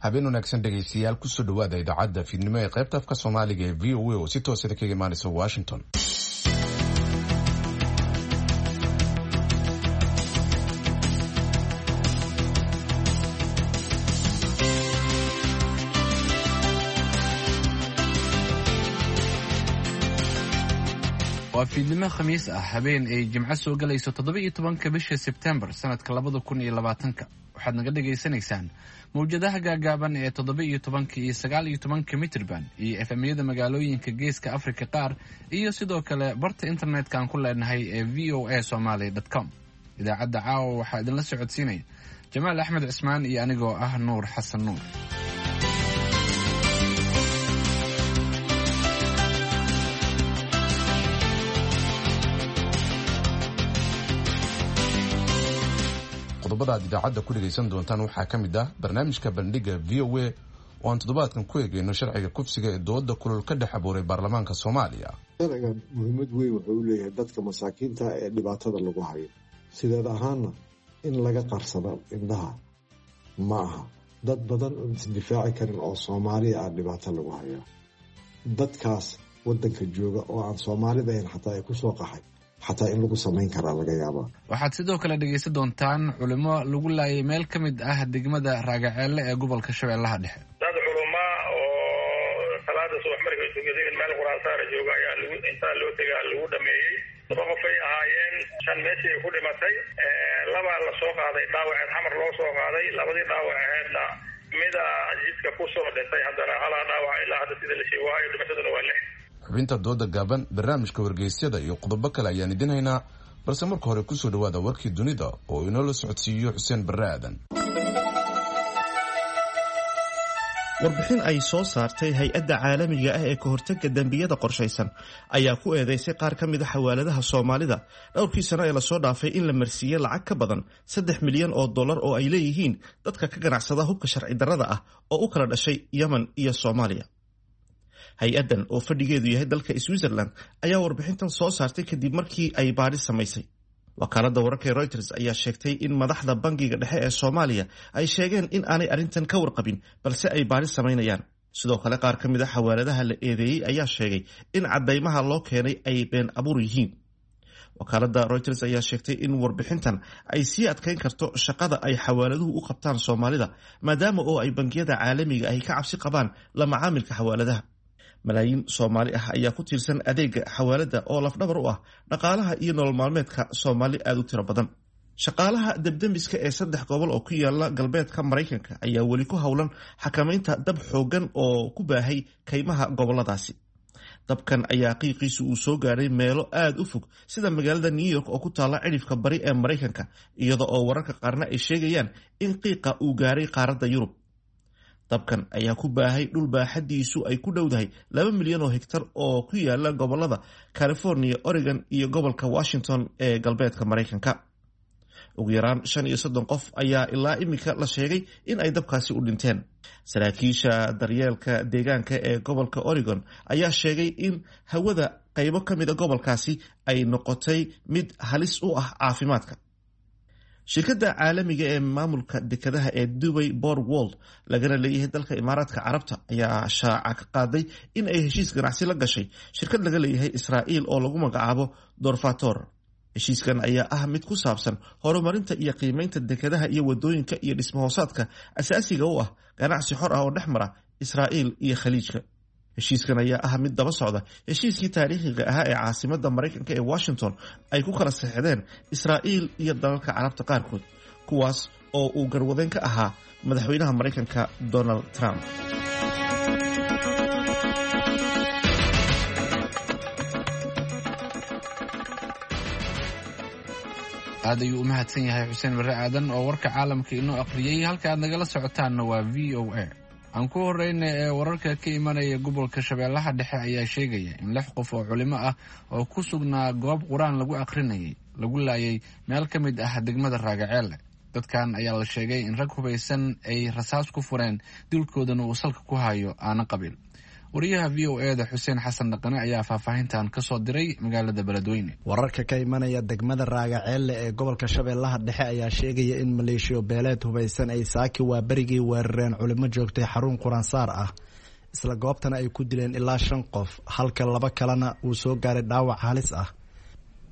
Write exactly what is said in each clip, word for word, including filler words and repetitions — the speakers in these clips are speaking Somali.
Habeen wanaagsan dhegaystayaal, kusoo dhawaada idaacadda fiidnimo ee qaybta afka Soomaaliga ee V O A oo si toosada kaga imaanaysa Washington. Waa fiidnimo Khamiis ah, habeen ay Jimco soo galayso toddoba iyo tobanka bisha Sebtembar sanadka labada kun iyo labaatanka. Waxaad naga dhagaysanaysaan mawjadaha gaagaaban ee toddoba iyo tobanka iyo sagaal iyo tobanka mitrban iyo F M-yada magaalooyinka Geeska Afrika qaar iyo sidoo kale barta internetka aan ku leenahay ee V O A Somaly com. Idaacadda caawa waxaa idinla socodsiinaya Jamaal Axmed Cismaan iyo anigoo ah Nuur Xasan Nuur. Qodobada aad idaacadda ku dhegaysan doontaan waxaa ka mid ah barnaamijka Bandhiga V O A oo aan toddobaadkan ku eegeyno sharciga kufsiga ee dooda kulul ka dhex abuuray baarlamaanka Soomaaliya. Sharcigan muhiimad weyn wuxuu u leeyahay dadka masaakiinta ee dhibaatada lagu hayo. Sideed ahaana in laga qarsado indhaha ma aha. Dad badan oon isdifaaci karin oo Soomaaliya ah dhibaato lagu hayaa, dadkaas wadanka jooga oo aan Soomaalida ahayn xataa ay kusoo qaxay, xataa in lagu samayn karaa laga yaabaa. Waxaad sidoo kale dhegaysan doontaan culimo lagu laayay meel ka mid ah degmada Raagaceelle ee gobolka Shabeellaha Dhexe. Dad culumaa oo salaada subax markay tukadeen meel quraansaara jooga ayaa lagu intaa loo tegaa lagu dhameeyey. Laba qof ay ahaayeen, shan meeshii ay ku dhimatay, labaa la soo qaaday dhaawaceed Xamar loo soo qaaday. Labadii dhaawaceedna mida jidka kusoo dhintay, haddana halaa dhaawaca ilaa hadda sida la sheego waayo, dhimashaduna waa lix. Xubinta dooda gaaban, barnaamijka wargeysyada iyo qodobo kale ayaan idin haynaa, balse marka hore kusoo dhawaada warkii dunida oo inoola socodsiiyo Xuseen Barre Aadan. Warbixin ay soo saartay hay-adda caalamiga ah ee ka hortagga dembiyada qorshaysan ayaa ku eedeysay qaar ka mid a xawaaladaha Soomaalida dhowrkii sano ee lasoo dhaafay in la marsiiyey lacag ka badan saddex milyan oo dollar oo ay leeyihiin dadka ka ganacsada hubka sharci darrada ah oo u kala dhashay Yemen iyo Soomaaliya. Hay-addan oo fadhigeedu yahay dalka Switzerland ayaa warbixintan soo saartay kadib markii ay baadhi samaysay. Wakaaladda wararka ee Reuters ayaa sheegtay in madaxda Bangiga Dhexe ee Soomaaliya ay sheegeen in aanay arrintan ka warqabin, balse ay baadhi samaynayaan. Sidoo kale, qaar ka mid a xawaaladaha la eedeeyey ayaa sheegay in caddaymaha loo keenay ay been abuur yihiin. Wakaaladda Reuters ayaa sheegtay in warbixintan ay sii adkeyn karto shaqada ay xawaaladuhu u qabtaan Soomaalida, maadaama oo ay bangiyada caalamiga ahi ka cabsi qabaan la macaamilka xawaaladaha. Malaayiin Soomaali ah ayaa ku tiirsan adeega xawaalada oo lafdhabar u ah dhaqaalaha iyo nolol maalmeedka Soomaali aada u tiro badan. Shaqaalaha debdemiska ee saddex gobol oo ku yaala galbeedka Maraykanka ayaa weli ku howlan xakamaynta dab xooggan oo ku baahay kaymaha goboladaasi. Dabkan ayaa qiiqiisu uu soo gaadhay meelo aada u fog, sida magaalada New York oo ku taalla cidhifka bari ee Maraykanka, iyada oo wararka qaarna ay sheegayaan in qiiqa uu gaaray qaaradda Yurub. Dabkan ayaa ku baahay dhul baaxadiisu ay ku dhowdahay laba milyan oo hegtar oo ku yaala gobolada California, Oregon iyo gobolka Washington ee galbeedka Maraykanka. Ugu yaraan shan iyo soddon qof ayaa ilaa iminka la sheegay in ay dabkaasi u dhinteen. Saraakiisha daryeelka deegaanka ee gobolka Oregon ayaa sheegay in hawada qaybo ka mid a gobolkaasi ay noqotay mid halis u ah caafimaadka. Shirkadda caalamiga ee maamulka dekadaha ee Dubai Port World, lagana leeyahay dalka Imaaraadka Carabta, ayaa shaaca ka qaaday in ay heshiis ganacsi la gashay shirkad laga leeyahay Israa'iil oo lagu magacaabo Dorfator. Heshiiskan ayaa ah mid ku saabsan horumarinta iyo qiimeynta dekadaha iyo wadooyinka iyo dhismahoosaadka asaasiga u ah ganacsi xor ah oo dhex mara Israa'iil iyo Khaliijka. Heshiiskan ayaa ah mid daba socda heshiiskii taariikhiga ahaa ee caasimada Maraykanka ee Washington ay ku kala saxdeen Israa'iil iyo dalalka Carabta qaarkood, kuwaas oo uu garwadeen ka ahaa madaxweynaha Maraykanka Donald Trump. Aad ayuu u mahadsan yahay Xuseen Barre Aadan oo warka caalamka inoo aqriyey. Halka aad nagala socotaanna waa V O A. Aan ku horeyna ee wararka ka imanaya gobolka Shabeellaha Dhexe ayaa sheegaya in lix qof oo culimo ah oo ku sugnaa goob qur-aan lagu aqrinayay lagu laayay meel ka mid ah degmada Raagaceelle. Dadkan ayaa la sheegay in rag hubaysan ay rasaas ku fureen, dilkoodana uu salka ku hayo aana qabiil. Wariyaha V O E da Xuseen Xasan Dhaqane ayaa faahfaahintan kasoo diray magaalada Beledweyne. Wararka ka imanaya degmada Raagaceelle ee gobolka Shabeellaha Dhexe ayaa sheegaya in maleeshiyo beeleed hubaysan ay saaki waa berigii weerareen culimo joogtay xarun quraansaar ah, isla goobtana ay ku dileen ilaa shan qof, halka laba kalena uu soo gaaray dhaawac halis ah.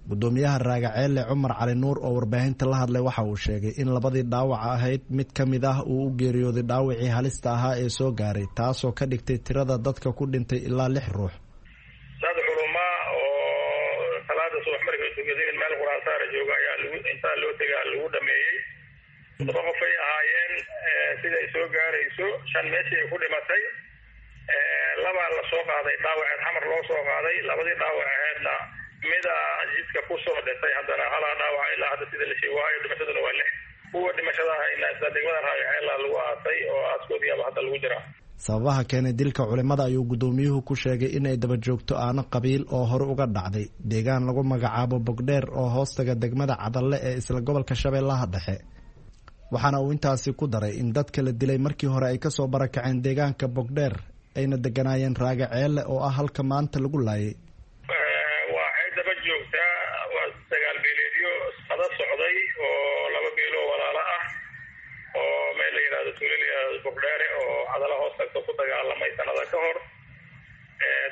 Gudoomiyaha Raagaceelle Cumar Cali Nuur oo warbaahinta la hadlay waxa uu sheegay in labadii dhaawaca ahayd mid ka mid ah uu u geeriyooday dhaawacii halista ahaa ee soo gaaray, taasoo ka dhigtay tirada dadka ku dhintay ilaa lix ruux. Dad culumaa oo salaada subax markay tukadeen meel quraansaara jooga ayaa lagu intaa loo tegaa lagu dhameeyey. Todoba qof ay ahaayeen, siday soo gaarayso shan meeshii ay ku dhimatay, labaa lasoo qaaday dhaawaceed xamar loo soo qaaday, labadii dhaawac aheedna mida jidka kusoo dhintay, haddana halaa dhaawaca ilaa hadda sida la sheegaayo dhimashaduna waa lix. Kuwa dhimashada hayna isla degmada Raagaceela lagu aasay oo aaskoodiiaba hadda lagu jiraa. Sababaha keenay dilka culimada ayuu gudoomiyuhu ku sheegay inay daba joogto aano qabiil oo hore uga dhacday deegaan lagu magacaabo Bogdheer oo hoostaga degmada Cadalle ee isla gobolka Shabeellaha Dhexe. Waxaana uu intaasi ku daray in dadka la dilay markii hore ay kasoo barakaceen deegaanka Bogdheer ayna deganaayeen Raagaceelle oo ah halka maanta lagu laayay. Waxay daba joogtaa waa dagaal beeleedyo sada socday oo laba beeloo walaalo ah oo meel la yidhahdo tuulo la yidhahdo Bordheere oo Cadala hoos tagto ku dagaalamay sanada ka hor.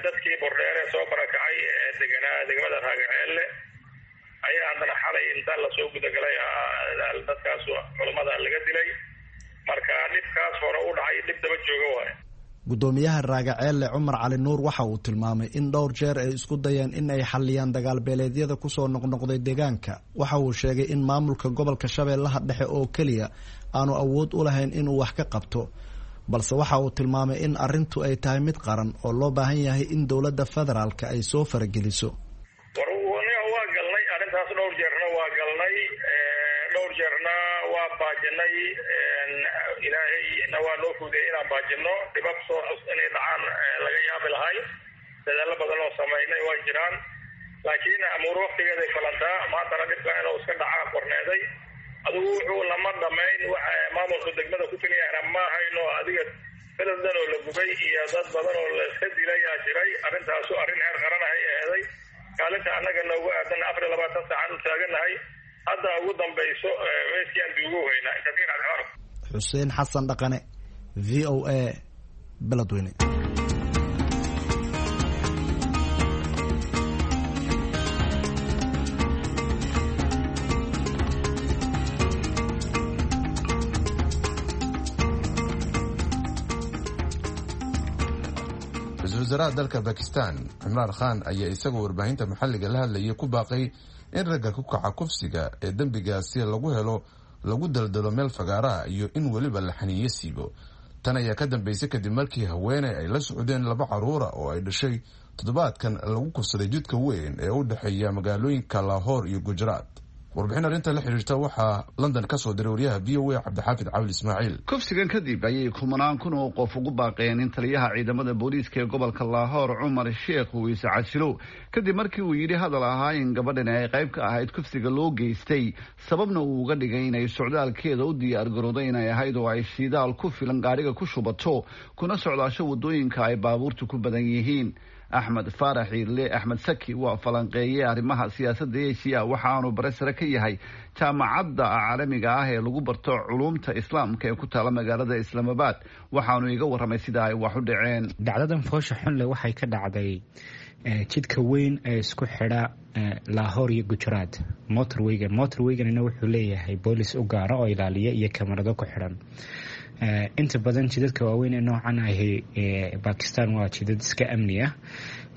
Dadkii Bordheere soo barakacay ee deganaa degmada Raagaceelle ayaa haddana xalay inta lasoo gudagalay dadkaas culammada laga dilay. Marka dhibkaas hore u dhacay dhib daba jooga waaye. Gudoomiyaha Raagaceelle Cumar Cali Nuur waxa uu tilmaamay in dhowr jeer ay isku dayeen in ay xaliyaan dagaal beeleedyada kusoo noqnoqday deegaanka. Waxa uu sheegay in maamulka gobolka Shabeellaha Dhexe oo keliya aanu awood u lahayn inuu wax ka qabto, balse waxa uu tilmaamay in arrintu ay tahay mid qaran oo loo baahan yahay in dowladda federaalka ay soo farageliso. War waa galnay arrintaas dhowr jeerna waa galnay, dhowr jeerna waa baajinay, ilaahayna waa noo fuudiyay inaan baajino dhibab soo cus inay dhacaan laga yaabi lahay. Dadaallo badan oo samaynay waa jiraan, laakiin amuur waktigeeday falantaa. Maantana dhibka inuu iska dhacaa qorneeday adigu wuxuu lama dhamayn waxa maamulka degmada ku keliyahna ma hayno. Adiga beled dhan oo la gubay iyo dad badan oo la iska dilayaa jiray. Arrintaasu arrin heer qaranahay eeday kaalinta annaga noogu aadan afar iyo labaatan saacaan u taaganahay. Hadda ugu dambayso meeskii aan duugu haynaa kasiir cabdixamar. Xuseen Xasan Dhaqane, V O A, Beledweyne. Ra-iisul wasaaraha dalka Bakistan Cimraan Khan ayaa isagoo warbaahinta maxalliga la hadlayay ku baaqay in ragga ku kaca kufsiga ee dembigaasi lagu helo lagu daldalo meel fagaaraha iyo in weliba la xaniinyo siibo. Tan ayaa ka dambeysay kadib markii haweeney ay la socdeen laba caruura oo ay dhashay toddobaadkan lagu kufsaday jidka weyn ee u dhexeeya magaalooyinka Lahore iyo Gujarat. Warbixin arrinta la xiriirta waxaa London ka soo diray wariyaha V O A Cabdixaafid Cawil Ismaaciil. Kufsigan kadib ayay kumanaan kun oo qof ugu baaqeen in taliyaha ciidamada booliiska ee gobolka Lahore Cumar Sheekh uu iscasilo, kadib markii uu yidhi hadal ahaa in gabadhan ay qayb ka ahayd kufsiga loo geystay, sababna uu uga dhigay inay socdaalkeeda u diyaar garooday inay ahayd oo ay shidaal ku filan gaariga ku shubato kuna socdaasho waddooyinka ay baabuurtu ku badan yihiin. Axmed Faarax Iirle Axmed Saki waa falanqeeye arrimaha siyaasadda Asia, waxaanu bare sare ka yahay jaamacadda caalamiga ah ee lagu barto culuumta islaamka ee ku taala magaalada Islaamabad. Waxaanu iga warramay sida ay wax u dhaceen. Dhacdadan foosha xunle waxay ka dhacday jidka weyn ee isku xidha Lahore iyo Gujarat, motorwayga. Motorwayganina wuxuu leeyahay boolis u gaara oo ilaaliya iyo kamarado ku xidhan. Inta badan jidadka waaweyn ee noocan ahi Bakistan waa jidad iska amni ah,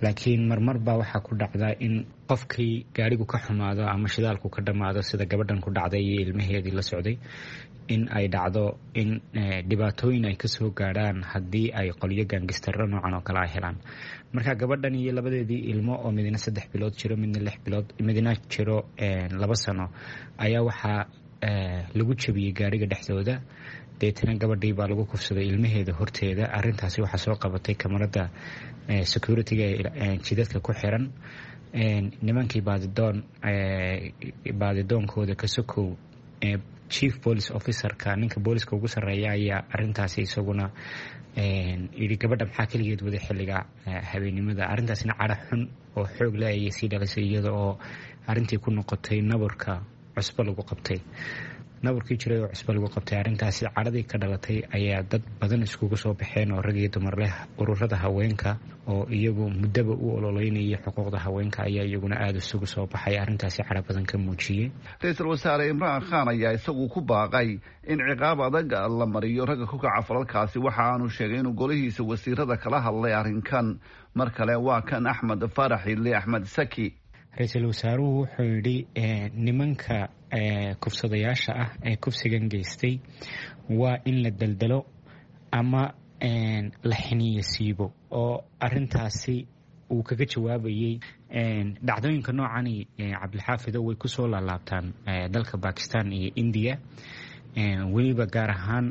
laakiin marmar baa waxaa ku dhacda in qofkii gaarigu ka xumaado ama shidaalku ka dhammaado, sida gabadhan ku dhacday iyo ilmaheedii la socday, in ay dhacdo in dhibaatooyin ay kasoo gaadhaan haddii ay qolyo gaangistaro noocan oo kale ay helaan. Marka gabadhan iyo labadeedii ilmo oo midna saddex bilood jiro, midna lix bilood, midna jiro laba sano, ayaa waxaa lagu jabiyey gaariga dhexdooda. Deetana gabadhii baa lagu kufsaday ilmaheeda horteeda. Arintaasi waxaa soo qabatay kamarada security-ga ee jidadka ku xiran. Nimankii baadidoon baadidoonkooda ka sokow Chief police officerka, ninka booliska ugu sarreeya, ayaa arintaasi isaguna yidhi gabadha maxaa keligeed wada xilliga habeennimada. Arrintaasina cadho xun oo xoog leh ayay sii dhalisay, iyada oo arrintii ku noqotay nabarka cusbo lagu qabtay, nabarkii jiray oo cusbo lagu qabtay. Arrintaasi cadhadii ka dhalatay ayaa dad badan iskugu soo baxeen oo rag iyo dumar leh. Ururada haweenka oo iyagu muddaba u ololeynayay xuquuqda haweenka ayaa iyaguna aada isugu soo baxay, arrintaasi cadho badan ka muujiyey. Ra-iisul wasaare Imraan Khan ayaa isagu ku baaqay in ciqaab adag la mariyo ragga ku kaca falalkaasi. Waxa aanu sheegay inuu golihiisa wasiirada kala hadlay arrinkan. Mar kale waa kan Axmed Faarax Idle, Axmed Saki. Ra-iisul wasaaruhu wuxuu yidhi nimanka kufsadayaasha ah ee kufsigan geystay waa in la daldalo ama la xiniyo siibo, oo arintaasi uu kaga jawaabayay. Dhacdooyinka noocani, Cabdilxaafido, way kusoo laalaabtaan dalka Bakistan iyo Indiya, weliba gaar ahaan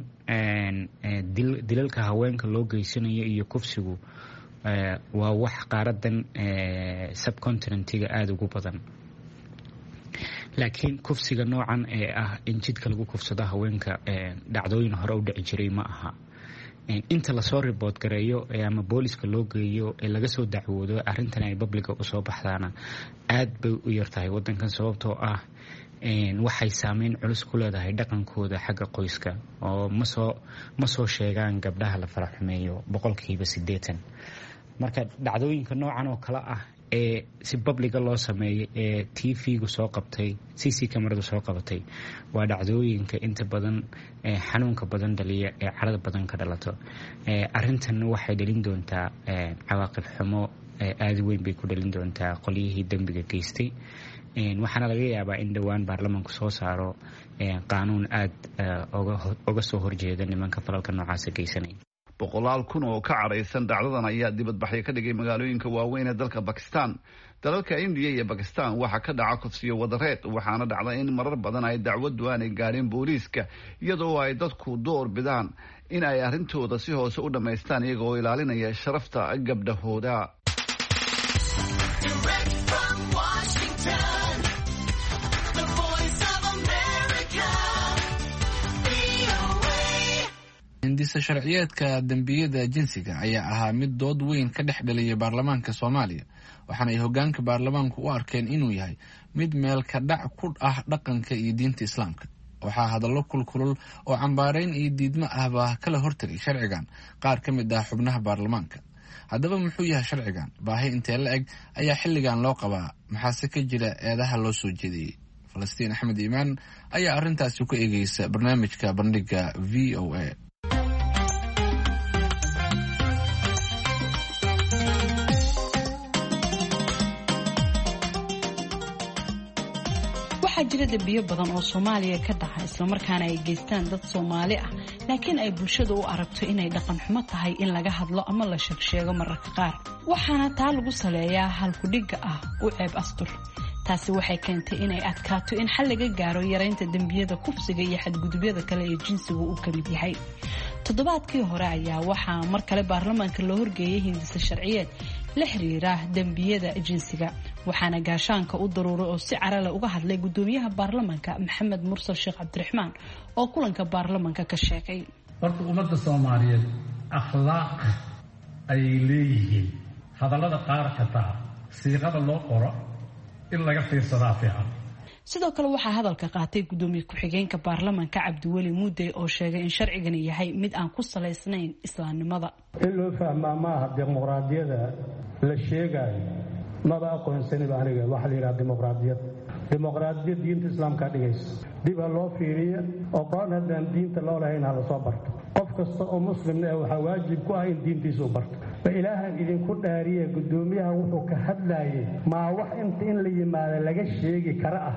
dilalka haweenka loo geysanayo iyo kufsigu waa wax qaaradan subcontinentiga aada ugu badan. Laakiin kufsiga noocan ee ah in jidka lagu kufsado haweenka dhacdooyin hore u dhici jiray ma aha. Inta lasoo ribood gareeyo ama booliska loo geeyo ee laga soo dacwoodo arrintan ay babliga usoo baxdaana aad bay u yartahay wadankan, sababtoo ah waxay saameyn culus ku leedahay dhaqankooda xagga qoyska, oo masoo ma soo sheegaan gabdhaha la faraxumeeyo boqolkiiba siddeetan. Marka dhacdooyinka noocan oo kale ah ee si babliga loo sameeyay ee t v-gu soo qabtay, c c kamaradu soo qabatay, waa dhacdooyinka inta badan xanuunka badan dhaliya ee carada badan ka dhalato. Arrintan waxay dhalin doontaa cawaaqib xumo aada weyn bay ku dhalin doontaa qolyihii dembiga geystay, waxaana laga yaabaa in dhowaan baarlamaanku soo saaro qaanuun aada oga soo horjeeda nimanka falalka noocaasa geysanaya. Boqolaal kun oo ka cadhaysan dhacdadan ayaa dibadbaxyo ka dhigay magaalooyinka waaweyn ee dalka Bakistan. Dalalka Indiya iyo Bakistan waxaa ka dhaca kufsiyo wadareed, waxaana dhacda in marar badan ay dacwaddu aanay gaadhin booliiska, iyadoo ay dadku door bidaan in ay arrintooda si hoose u dhammaystaan iyaga oo ilaalinaya sharafta gabdhahooda. Hindisa sharciyeedka dembiyada jinsiga ayaa ahaa mid dood weyn ka dhex dhaliyay baarlamaanka Soomaaliya, waxaana ay hoggaanka baarlamaanku u arkeen inuu yahay mid meel ka dhac ku ah dhaqanka iyo diinta Islaamka. Waxaa hadallo kulkulul oo cambaarayn iyo diidmo ahbaa kala hortegay sharcigan qaar ka mid ah xubnaha baarlamaanka. Haddaba muxuu yahay sharcigan? Baahi intee la eg ayaa xilligan loo qabaa? Maxaase ka jira eedaha loo soo jeediyey? Falastiin Axmed Iimaan ayaa arrintaasi ku eegeysa barnaamijka Bandhiga V O A. Waxaa jira dembiyo badan oo Soomaaliya ka dhaca, islamarkaana ay geystaan dad Soomaali ah, laakiin ay bulshada u aragto inay dhaqan xumo tahay in laga hadlo ama la sheegsheego mararka qaar. Waxaana taa lagu saleeyaa halkudhigga ah u ceeb astur. Taasi waxay keentay inay adkaato in xal laga gaaro yaraynta dembiyada kufsiga iyo xadgudubyada kale ee jinsigu uu ka mid yahay. Toddobaadkii hore ayaa waxaa mar kale baarlamaanka loo horgeeyay hindisa sharciyeed la xiriira dembiyada jinsiga, waxaana gaashaanka u daruuray oo si carale uga hadlay gudoomiyaha baarlamaanka Maxamed Mursal Sheekh Cabdiraxmaan oo kulanka baarlamaanka ka sheegay. Horta ummadda Soomaaliyeed akhlaaq ayay leeyihiin. Hadallada qaar xitaa siiqada loo qoro in laga fiirsadaa fiican. Sidoo kale waxaa hadalka qaatay gudoomiye ku-xigeenka baarlamaanka Cabdiweli Muudey oo sheegay in sharcigani yahay mid aan ku salaysnayn islaamnimada. In loo fahmaa maaha dimuqraadiyada la sheegaayo, maba aqoonsaniba aniga waxaa la yidhaha dimuqraadiyad. Dimuqraadiyad diinta islaamkaa dhigaysa, dib ha loo fiiriya. Oqoon haddaan diinta loo lahayn ha lasoo barto. Qof kasta oo muslimna eh waxaa waajib ku ah in diintiisa u barto. Ma ilaahan idinku dhaariye, guddoomiyaha wuxuu ka hadlaayay maa wax inta in la yimaado laga sheegi kara ah?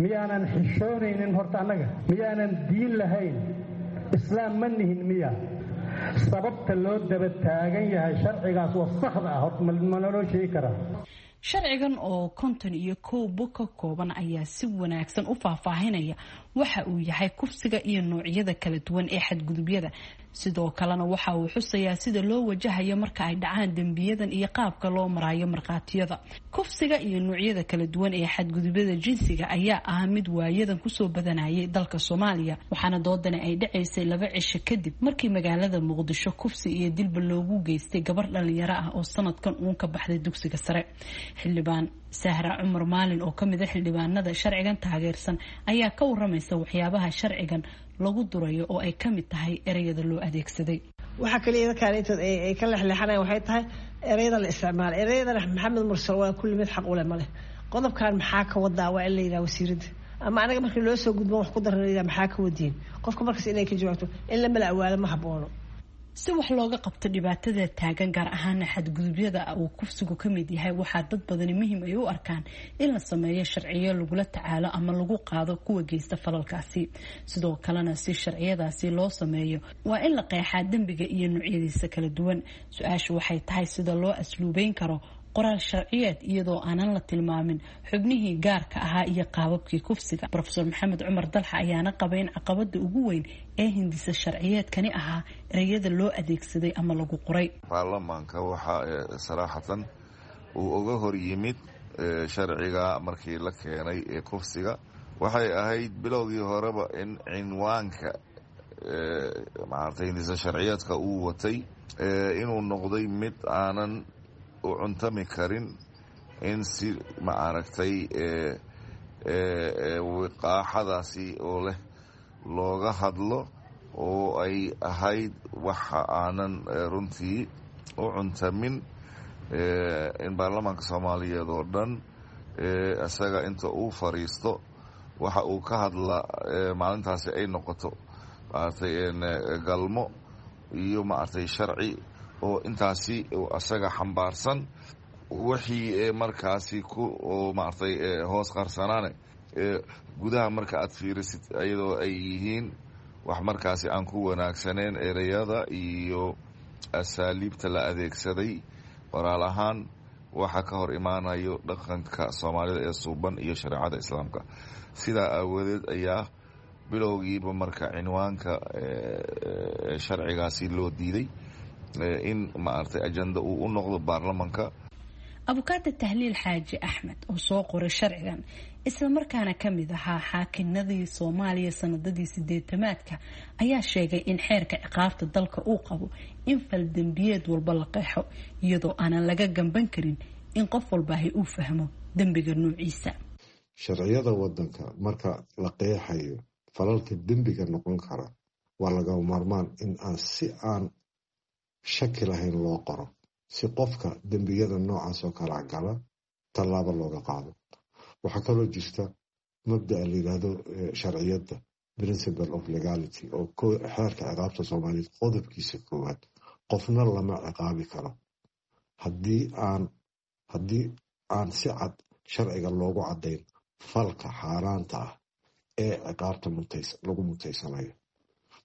Miyaanan xishoonaynin horta annaga? Miyaanan diin lahayn? Islaam ma nihin miya? Sababta loo daba taagan yahay sharcigaas wasakhda ah horta ma naloo sheegi karaa? Sharcigan oo konton iyo kow bog ka kooban ayaa si wanaagsan u faahfaahinaya waxa uu yahay kufsiga iyo noocyada kala duwan ee xadgudubyada, Sidoo kalena waxa uu xusayaa sida loo wajahayo marka ay dhacaan dembiyadan iyo qaabka loo marayo markhaatiyada. Kufsiga iyo noocyada kala duwan ee xadgudubyada jinsiga ayaa ah mid waayadan kusoo badanayay dalka Soomaaliya, waxaana doodani ay dhacaysay laba cisho kadib markii magaalada Muqdisho kufsi iyo dilba loogu geystay gabar dhalinyaro ah oo sanadkan uun ka baxday dugsiga sare. Xildhibaan Sahra Cumar Maalin oo kamid ah xildhibaanada sharcigan taageersan ayaa ka waramaysa waxyaabaha sharcigan lagu durayo oo ay kamid tahay ereyada loo adeegsaday. Waxa kaliya dadkaan intood ay ka lexleexanayaan waxay tahay ereyada la isticmaalo. Ereyadana Maxamed Mursal waa kulli mid xaq u leh ma leh. Qodobkan maxaa ka wadaa waa in la yidhaha wasiiradda, ama anaga markii loo soo gudbo wax ku daran la yidhaha maxaa ka wadiin, qofka markaas inay ka jawaabto in la mala awaalo ma haboono. Si wax looga qabto dhibaatada taagan, gaar ahaana xadgudubyada uu kufsigu ka mid yahay, waxaa dad badani muhiim ay u arkaan in la sameeyo sharciyo lagula tacaalo ama lagu qaado kuwa geysta falalkaasi. Sidoo kalena si sharciyadaasi loo sameeyo waa in la qeexaa dembiga iyo noocyadiisa kala duwan. Su-aashu waxay tahay sida loo asluubeyn karo qoraal sharciyeed iyadoo aanan la tilmaamin xubnihii gaarka ahaa iyo qaababkii kufsiga. Profesor Maxamed Cumar Dalxa ayaana qaba in caqabada ugu weyn ee hindisa sharciyeedkani ahaa ereyada loo adeegsaday ama lagu qoray. Baarlamaanka waxaa saraaxatan uu uga hor yimid sharciga markii la keenay ee kufsiga, waxay ahayd bilowgii horeba in cinwaanka maaragtay hindisa sharciyeedka uu watay inuu noqday mid aanan u cuntami karin in si ma aragtay wiqaaxadaasi oo leh looga hadlo, oo ay ahayd waxa aanan runtii u cuntamin in baarlamaanka Soomaaliyeed oo dhan isaga inta uu fariisto waxa uu ka hadla maalintaasi ay noqoto maaragtay galmo iyo maaragtay sharci oo intaasi asaga xambaarsan, wixii markaasi ku oo maaragtay hoos qarsanaane gudaha marka aad fiirisid iyadoo ay yihiin wax markaasi aan ku wanaagsaneen ereyada iyo asaaliibta la adeegsaday qoraal ahaan, waxa ka hor imaanayo dhaqanka Soomaalida ee suuban iyo shareecada Islaamka. Sidaa aawadeed ayaa bilowgiiba marka cinwaanka sharcigaasi loo diiday in maaragtay ajenda uu u noqdo baarlamanka. Abukaata Tahliil Xaaji Axmed oo soo qoray sharcigan islamarkaana ka mid ahaa xaakinadii Soomaaliya sanadadii sideetamaadka ayaa sheegay in xeerka ciqaabta dalka uu qabo in faldembiyeed walba la qeexo, iyadoo aanan laga gamban karin in qof walbaahi uu fahmo dembiga nuuciisa. Sharciyada wadanka marka la qeexayo falalka dembiga noqon kara waa lagama maarmaan in aan si aan shaki lahayn loo qoro, si qofka dembiyada noocaas oo kala gala tallaabo looga qaado. Waxaa kaloo jirta mabda'a la yidhaahdo sharciyadda principle of legality oo xeerka ciqaabta Soomaaliyeed qodobkiisa koowaad, qofna lama ciqaabi karo haddii aan haddii aan si cad sharciga loogu caddayn falka xaaraanta ah ee ciqaabta lagu mutaysanayo.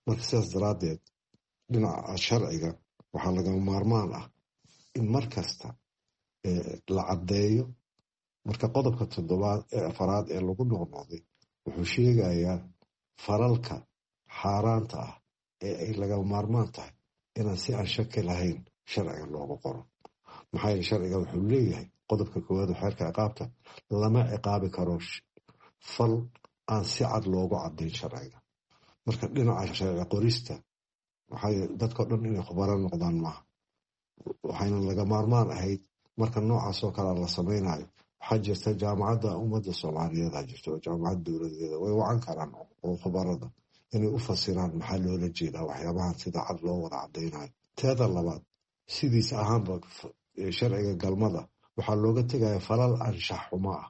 Marka sidaas daraaddeed dhinaca sharciga waxaa lagama maarmaan ah in mar kasta la caddeeyo. Marka qodobka toddobaad ee afaraad ee lagu noqnoqday wuxuu sheegayaa falalka xaaraanta ah ee ay lagama maarmaan tahay inaan si aan shaki lahayn sharciga loogu qoro. Maxaa yeele sharciga wuxuu leeyahay qodobka koowaad oo xeerka ciqaabta, lama ciqaabi karo fal aan si cad loogu caddayn sharciga. Marka dhinaca sharci qorista waxay dadkao dhan inay khubaro noqdaan maaha, waxayna laga maarmaan ahayd marka noocaas oo kale la sameynayo. Waxaa jirta jaamacadda ummadda Soomaaliyeed ha jirto oo jaamacad dowladeeda way wacan karaan oo khubarada inay u fasiraan maxaa loola jeedaa waxyaabahan sida cad loo wada caddaynayo. Teeda labaad, sidiis ahaanba sharciga galmada waxaa looga tegaya falal anshax xumo ah,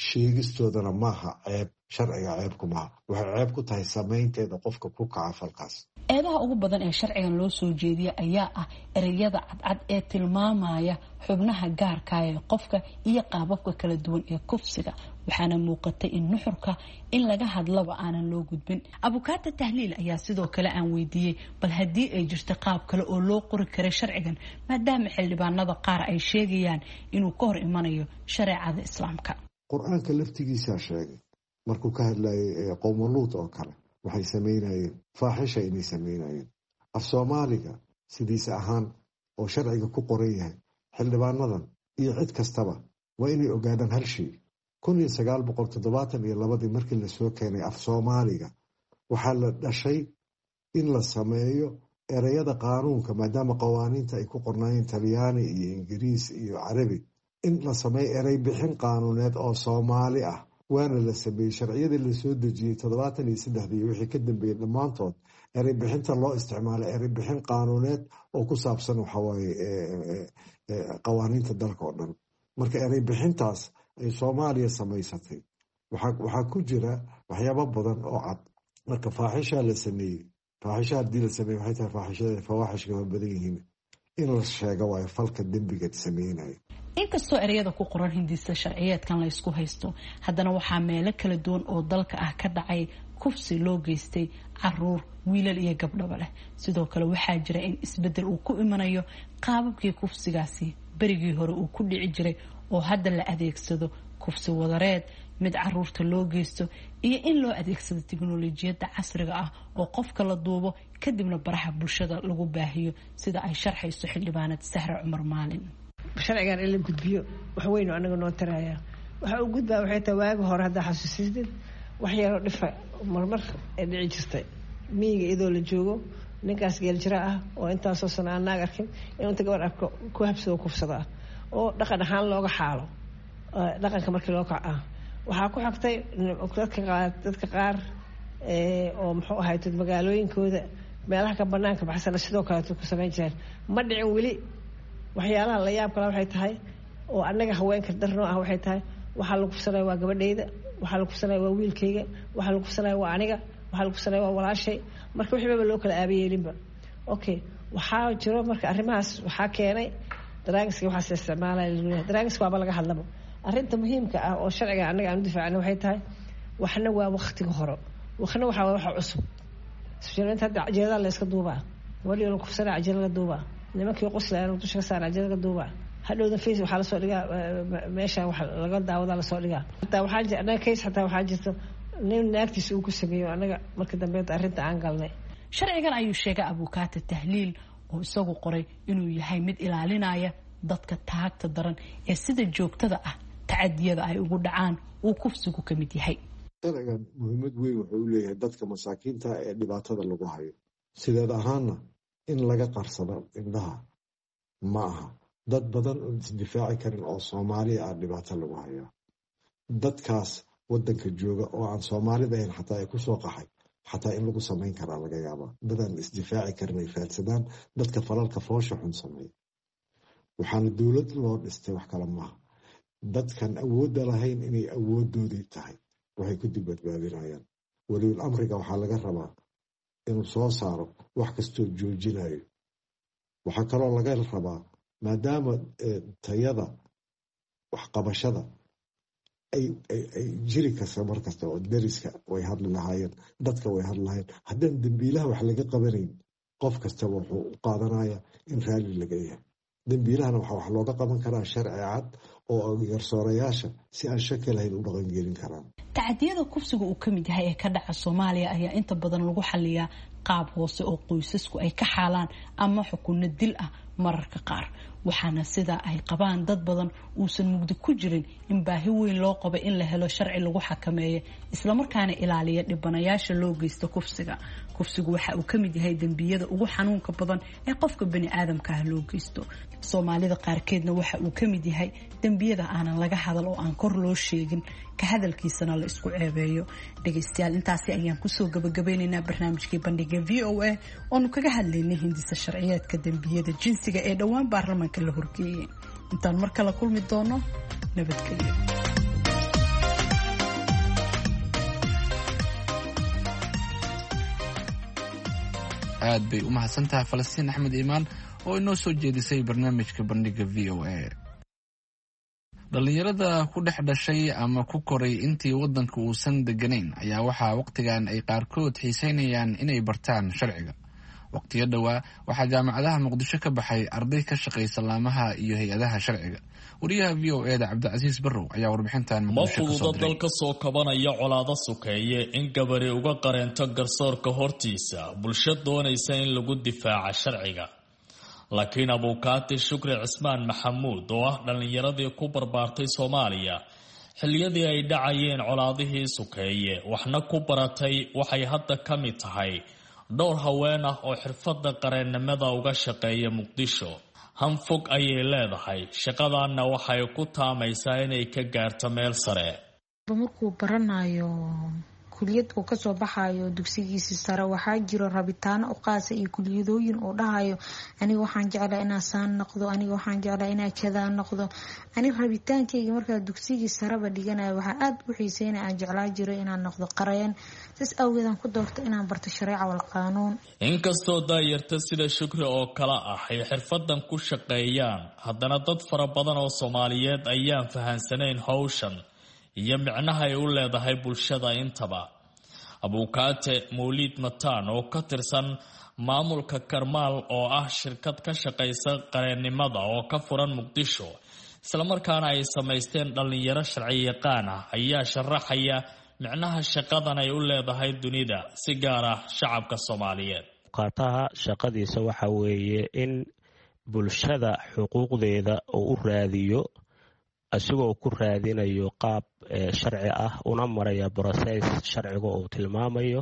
sheegistoodana maaha ceeb, sharciga ceebku maaha, waxay ceeb ku tahay samaynteeda qofka ku kaca falkaas. Eedaha ugu badan ee sharcigan loo soo jeediya ayaa ah ereyada cadcad ee tilmaamaya xubnaha gaarka ee qofka iyo qaababka kala duwan ee kufsiga, waxaana muuqatay in nuxurka in laga hadlaba aanan loo gudbin. Abukaata Tahliil ayaa sidoo kale aan weydiiyey bal haddii ay jirto qaab kale oo loo qori karay sharcigan, maadaama xildhibaanada qaar ay sheegayaan inuu ka hor imanayo shareecada Islaamka. Qur-aanka laftigiisaa sheegay markuu ka hadlayay qowma Luut oo kale, waxay samaynayeen faaxisha inay samaynayeen. Af Soomaaliga sidiisa ahaan oo sharciga ku qoran yahay, xildhibaanadan iyo cid kastaba waa inay ogaadaan hal shay. kun iyo sagaal boqol toddobaatan iyo labadii markii lasoo keenay af Soomaaliga, waxaa la dhashay in la sameeyo ereyada qaanuunka, maadaama qawaaniinta ay ku qornaayeen Talyaani iyo Ingiriis iyo Carabi, in la sameeyo erey bixin qaanuuneed oo Soomaali ah. Waana la sameeyey. Sharciyadii lasoo dejiyey toddobaatan iyo saddexdii iyo wixii ka dambeeyey dhammaantood erey bixinta loo isticmaalay erey bixin qaanuuneed oo ku saabsan waxawaaye qawaaniinta dalka oo dhan. Marka erey bixintaas ay Soomaaliya samaysatay waxaa ku jira waxyaabo badan oo cad. Marka faaxishaa la sameeyey, faaxisha haddii la sameeyey waxay tahay faaxishada fawaaxishka waa badan yihiin, in la sheego waayo falka dembiga sameynaya. Inkastoo ereyada ku qoran hindisa sharciyeedkan la ysku haysto, haddana waxaa meelo kala duwan oo dalka ah ka dhacay kufsi loo geystay caruur, wiilal iyo gabdhaba leh. Sidoo kale waxaa jira in isbedel uu ku imanayo qaababkii kufsigaasi berigii hore uu ku dhici jiray, oo hadda la adeegsado kufsi wadareed, mid caruurta loo geysto, iyo in loo adeegsado tiknolojiyadda casriga ah oo qofka la duubo kadibna baraha bulshada lagu baahiyo, sida ay sharxayso xildhibaanad Sahre Cumar Maalin. Sharcigan in la gudbiyo wax weyn oo anaga noo taraya. Waxa uu gudbaa waxay tahay, waagi hore haddaa xasuusisid, wax yaroo dhifa marmar ee dhici jirtay miyiga iyadoo la joogo, ninkaas geeljira ah oo intaasoo sana aan naag arkin inuu inta gabar arko ku habsado, kufsado ah, oo dhaqan ahaan looga xaalo dhaqanka markii loo kac ah. Waxaa ku xigtay dadka qaar dadka qaar oo muxuu ahayd magaalooyinkooda meelaha ka banaanka baxsana sidoo kaleeto ku samayn jireen. Ma dhicin weli. Waxyaalaha la yaab kala waxay tahay oo annaga haweenka darnoo ah waxay tahay, waxaa lagu kufsanaya waa gabadhayda, waxaa lagu kufsanaya waa wiilkayga, waxaa lagu kufsanaya waa aniga, waxaa lagu kufsanaya waa walaashay. Marka wixii baba loo kala aabayeelinba. Okay, waxaa jiro marka arrimahaas waxaa keenay drugs-ka, waxaas la isticmaalaya lagu drugs-ka waaba laga hadlaba. Arrinta muhiimka ah oo sharciga annaga aan u difaacna waxay tahay, waxna waa waqtiga hore, waxna waxaa waxa cusub. Sujinta hadda cajalada la iska duubaa, gabadhii la kufsanaya cajala la duubaa, nimankii qoslayaan dusha ka saara cajala laga duubaa, hadhowda face waxaa lasoo dhigaa meesha wax laga daawadaa lasoo dhigaa. Hataa waxaa jira annaga case, xataa waxaa jirta nin naagtiisa uu ku sameeyo, annaga marka dambe arrinta aan galnay. Sharcigan ayuu sheegay abukaata Tahliil oo isagu qoray inuu yahay mid ilaalinaya dadka taagta daran ee sida joogtada ah tacadiyada ay ugu dhacaan uu kufsigu ka mid yahay. Sharcigan muhiimad weyn wuxuu u leeyahay dadka masaakiinta ee dhibaatada lagu hayo. Sideed ahaanna in laga qarsado indhaha ma aha. Dad badan oon isdifaaci karin oo Soomaaliya ah dhibaato lagu hayaa, dadkaas wadanka jooga oo aan Soomaalida ahayn xataa ay kusoo qaxay, xataa in lagu samayn karaa laga yaabaa. Dadaan isdifaaci karin ay faadsadaan dadka falalka foosha xun sameeya. Waxaana dowlad loo dhistay wax kale maaha, dadkan awoodda lahayn inay awoodoodii tahay waxay ku dib badbaadinayaan. Waliul amriga waxaa laga rabaa inuu soo saaro wax kastoo joojinayo. Waxaa kaloo laga rabaa, maadaama tayada waxqabashada ay jiri karta mar kasta oo deriska way hadli lahaayeen, dadka way hadli lahaayeen, haddaan dembiilaha wax laga qabanayn, qof kastaba wuxuu u qaadanaya in raalli laga yahay. Dembiilahana waxaa wax looga qaban karaa sharci cad oo garsoorayaasha si aan shaki lahayn u dhaqangelin karaan. Tacadiyada kufsiga uu ka mid yahay ee ka dhaca Soomaaliya ayaa inta badan lagu xaliyaa qaab hoose oo qoysasku ay ka xaalaan ama xukunno dil ah mararka qaar, waxaana sidaa ay qabaan dad badan uusan mugdi ku jirin in baahi weyn loo qabo in la helo sharci lagu xakameeyo islamarkaana ilaaliya dhibanayaasha loo geysto kufsiga. Kufsigu waxa uu ka mid yahay dembiyada ugu xanuunka badan ee qofka bani aadamka ah loo geysto. Soomaalida qaarkeedna waxa uu ka mid yahay dembiyada aanan laga hadal oo aan kor loo sheegin, ka hadalkiisana la isku ceebeeyo. Dhegaystayaal, intaasi ayaan kusoo gabagabeynaynaa barnaamijkii bandhiga V O A oonu kaga hadlaynay hindisa sharciyeedka dembiyada jinsiga ee dhowaan baarlamaanka la horgeeyey. Intaan mar kale kulmi doono, nabadgelyo. Aad bay u mahadsan tahay Falastiin Axmed Iimaan oo inoo soo jeedisay barnaamijka bandhiga V O A. Dhallinyarada ku dhex dhashay ama ku koray intii waddanka uusan deganayn ayaa waxaa wakhtigan ay qaarkood xiiseynayaan inay bartaan sharciga. Waqtiyo dhowaa waxaa jaamacadaha Muqdisho ka baxay arday ka shaqaysa laamaha iyo hay-adaha sharciga. Wariyaha V O e da Cabdicasiis Barrow ayaa warbixintan Ma fududa dal ka soo kabanaya colaado sukeeye in gabari uga qareento garsoorka hortiisa bulsho doonaysa in lagu difaaca sharciga. Laakiin abuukaati Shukri Cismaan Maxamuud oo ah dhallinyaradii ku barbaartay Soomaaliya xilliyadii ay dhacayeen colaadihii sukeeye waxna ku baratay, waxay hadda ka mid tahay dhowr haween ah oo xirfadda qareennimada uga shaqeeya Muqdisho. Hanfog ayay leedahay, shaqadanna waxay ku taamaysaa inay ka gaarto meel sare. Markuu baranayo kuliyad uu kasoo baxayo dugsigiisi sare, waxaa jiro rabitaano u qaasa iyo kuliyadooyin uu dhahayo aniga waxaan jeclaa inaa saan noqdo, aniga waxaan jeclaa inaa kadaa noqdo. Ani rabitaankayga markaa dugsigii sareba dhiganayo waxaa aada u xiiseynaya aan jeclaa jiro inaan noqdo qareen, saas awgeedaan ku doorto inaan barto shareeca wal qaanuun. Inkastoo daayarta sida Shukri oo kale ah ay xirfadan ku shaqeeyaan, haddana dad fara badan oo Soomaaliyeed ayaan fahansanayn howshan iyo micnaha ay u leedahay bulshada intaba. Abuukaate Mawliid Mataan oo ka tirsan maamulka Karmaal oo ah shirkad ka shaqaysa qareennimada oo ka furan Muqdisho, islamarkaana ay samaysteen dhallinyaro sharci yaqaan ah, ayaa sharaxaya micnaha shaqadan ay u leedahay dunida, si gaar ah shacabka Soomaaliyeed. Abuukaataha shaqadiisa waxa weeye in bulshada xuquuqdeeda uu u raadiyo, isagoo ku raadinayo qaab sharci ah, una maraya broses sharciga uu tilmaamayo,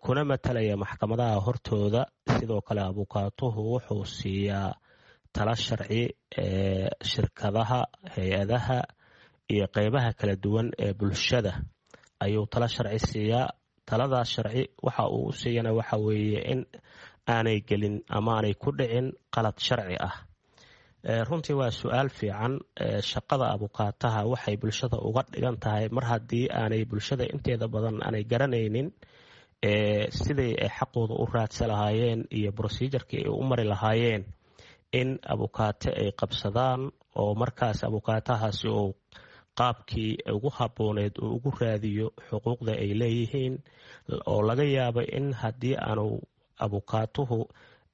kuna matalaya maxkamadaha hortooda. Sidoo kale abukaatuhu wuxuu siiyaa tala sharci shirkadaha, hay-adaha iyo qeybaha kala duwan ee bulshada ayuu tala sharci siiyaa. Taladaas sharci waxa uu u siiyana waxa weeye in aanay gelin ama aanay ku dhicin qalad sharci ah. Runtii waa su-aal fiican. Shaqada abukaataha waxay bulshada uga dhigan tahay mar haddii aanay bulshada inteeda badan aanay garanaynin siday ay xaqooda u raadsa lahaayeen iyo brosejarkii ay u mari lahaayeen, in abukaate ay qabsadaan oo markaas abukaatahaasi uu qaabkii ugu habbooneed uu ugu raadiyo xuquuqda ay leeyihiin, oo laga yaabo in haddii aanu abukaatuhu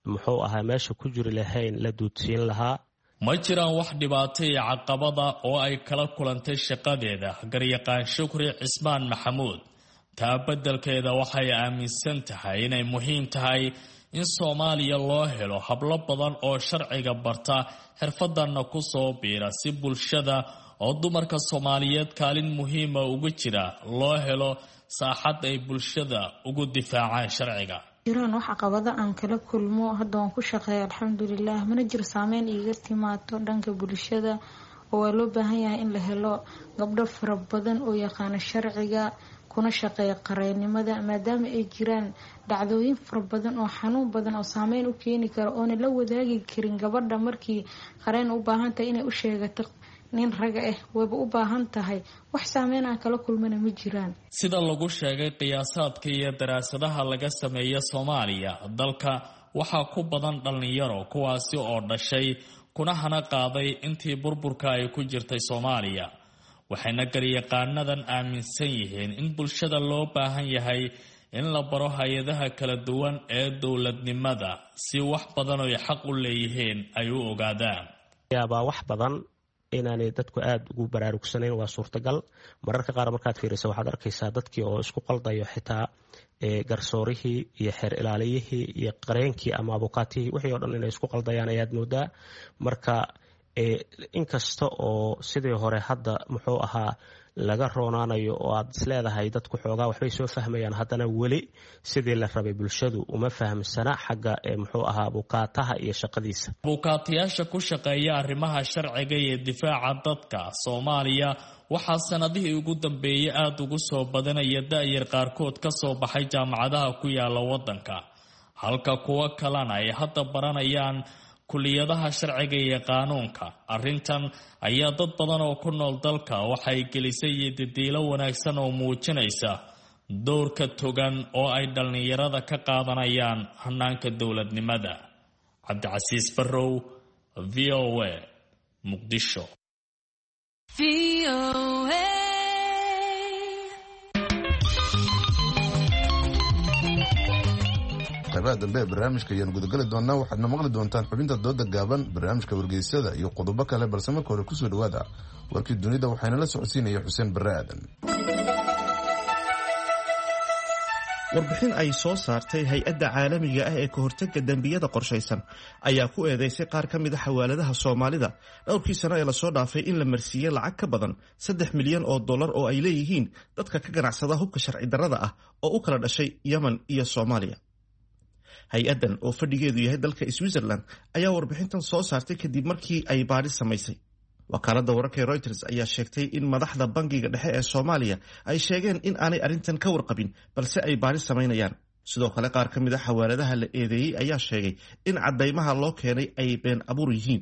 muxuu ahaa meesha ku jiri lahayn la duudsiin lahaa. Ma jiraan wax dhibaato iyo caqabada oo ay kala kulantay shaqadeeda garyaqaan Shukri Cismaan Maxamuud. Taa beddelkeeda waxay aaminsan tahay inay muhiim tahay in Soomaaliya loo helo hablo badan oo sharciga barta, xirfadanna ku soo biira, si bulshada oo dumarka Soomaaliyeed kaalin muhiima ugu jira loo helo saaxad ay bulshada ugu difaacaan sharciga. Jiraan wax caqabado aan kala kulmo, hadda waan ku shaqeeya alxamdulilah, mana jiro saameyn iiga timaado dhanka bulshada, oo waa loo baahan yahay in la helo gabdho fara badan oo yaqaano sharciga kuna shaqeeya qareennimada, maadaama ay jiraan dhacdooyin fara badan oo xanuun badan oo saameyn u keeni kara oona la wadaagi karin gabadha markii qareen u baahan tahay inay u sheegato nin raga ah, wayba u baahan tahay. Wax saameyn aan kala kulmana ma jiraan. Sida lagu sheegay qiyaasaadka iyo daraasadaha laga sameeya Soomaaliya, dalka waxaa ku badan dhallinyaro kuwaasi oo dhashay kuna hana qaaday intii burburka ay ku jirtay Soomaaliya. Waxayna garyaqaanadan aaminsan yihiin in bulshada loo baahan yahay in la baro hay-adaha kala duwan ee dowladnimada si wax badan oy xaq u leeyihiin ay u ogaadaan. Yaabaa wax badan inaanay dadku aada ugu baraarugsanayn waa suurtagal. Mararka qaar markaad fiiriso waxaad arkaysaa dadkii oo isku qaldayo xitaa garsoorihii iyo xeer ilaaliyihii iyo qareenkii ama abukaatihii, wixii o dhan inay isku qaldayaan ayaad moodaa. Marka inkasta oo sidii hore hadda muxuu ahaa laga roonaanayo oo aad isleedahay dadku xoogaa waxbay soo fahmayaan, haddana weli sidii la rabay bulshadu uma fahamsana xagga muxuu ahaa abukaataha iyo shaqadiisa. Abukaatayaasha ku shaqeeya arrimaha sharciga iyo difaaca dadka Soomaaliya waxaa sanadihii ugu dambeeyey aada ugu soo badanaya da-yar qaarkood ka soo baxay jaamacadaha ku yaala waddanka, halka kuwo kalena ay hadda baranayaan kuliyadaha sharciga iyo qaanuunka. Arrintan ayaa dad badan oo ku nool dalka waxay gelisay yididiilo wanaagsan oo muujinaysa dowrka togan oo ay dhallinyarada ka qaadanayaan hanaanka dowladnimada. Cabdicasiis Barrow, V O A, Muqdisho. Qaybaha dambe ee barnaamijka ayaan gudagali doonaa. Waxaadna maqli doontaan xubinta dooda gaaban, barnaamijka wargeysada iyo qodobo kale, balse marka hore kusoo dhawaada warkii dunida. Waxaana la socodsiinaya Xuseen Barre Aadan. Warbixin ay soo saartay hay-adda caalamiga ah ee ka hortagga dembiyada qorshaysan ayaa ku eedeysay qaar ka mid a xawaaladaha Soomaalida dhowrkii sano ee lasoo dhaafay in la marsiiyey lacag ka badan saddex milyan oo dollar oo ay leeyihiin dadka ka ganacsada hubka sharci darrada ah oo u kala dhashay Yemen iyo Soomaaliya. Hay-addan oo fadhigeedu yahay dalka Switzerland ayaa warbixintan soo saartay kadib markii ay baadhi samaysay. Wakaaladda wararka ee Reuters ayaa sheegtay in madaxda bangiga dhexe ee Soomaaliya ay sheegeen in aanay arrintan ka warqabin, balse ay baadhi samaynayaan. Sidoo kale, qaar ka mid a xawaaladaha la eedeeyey ayaa sheegay in caddaymaha loo keenay ay been abuur yihiin.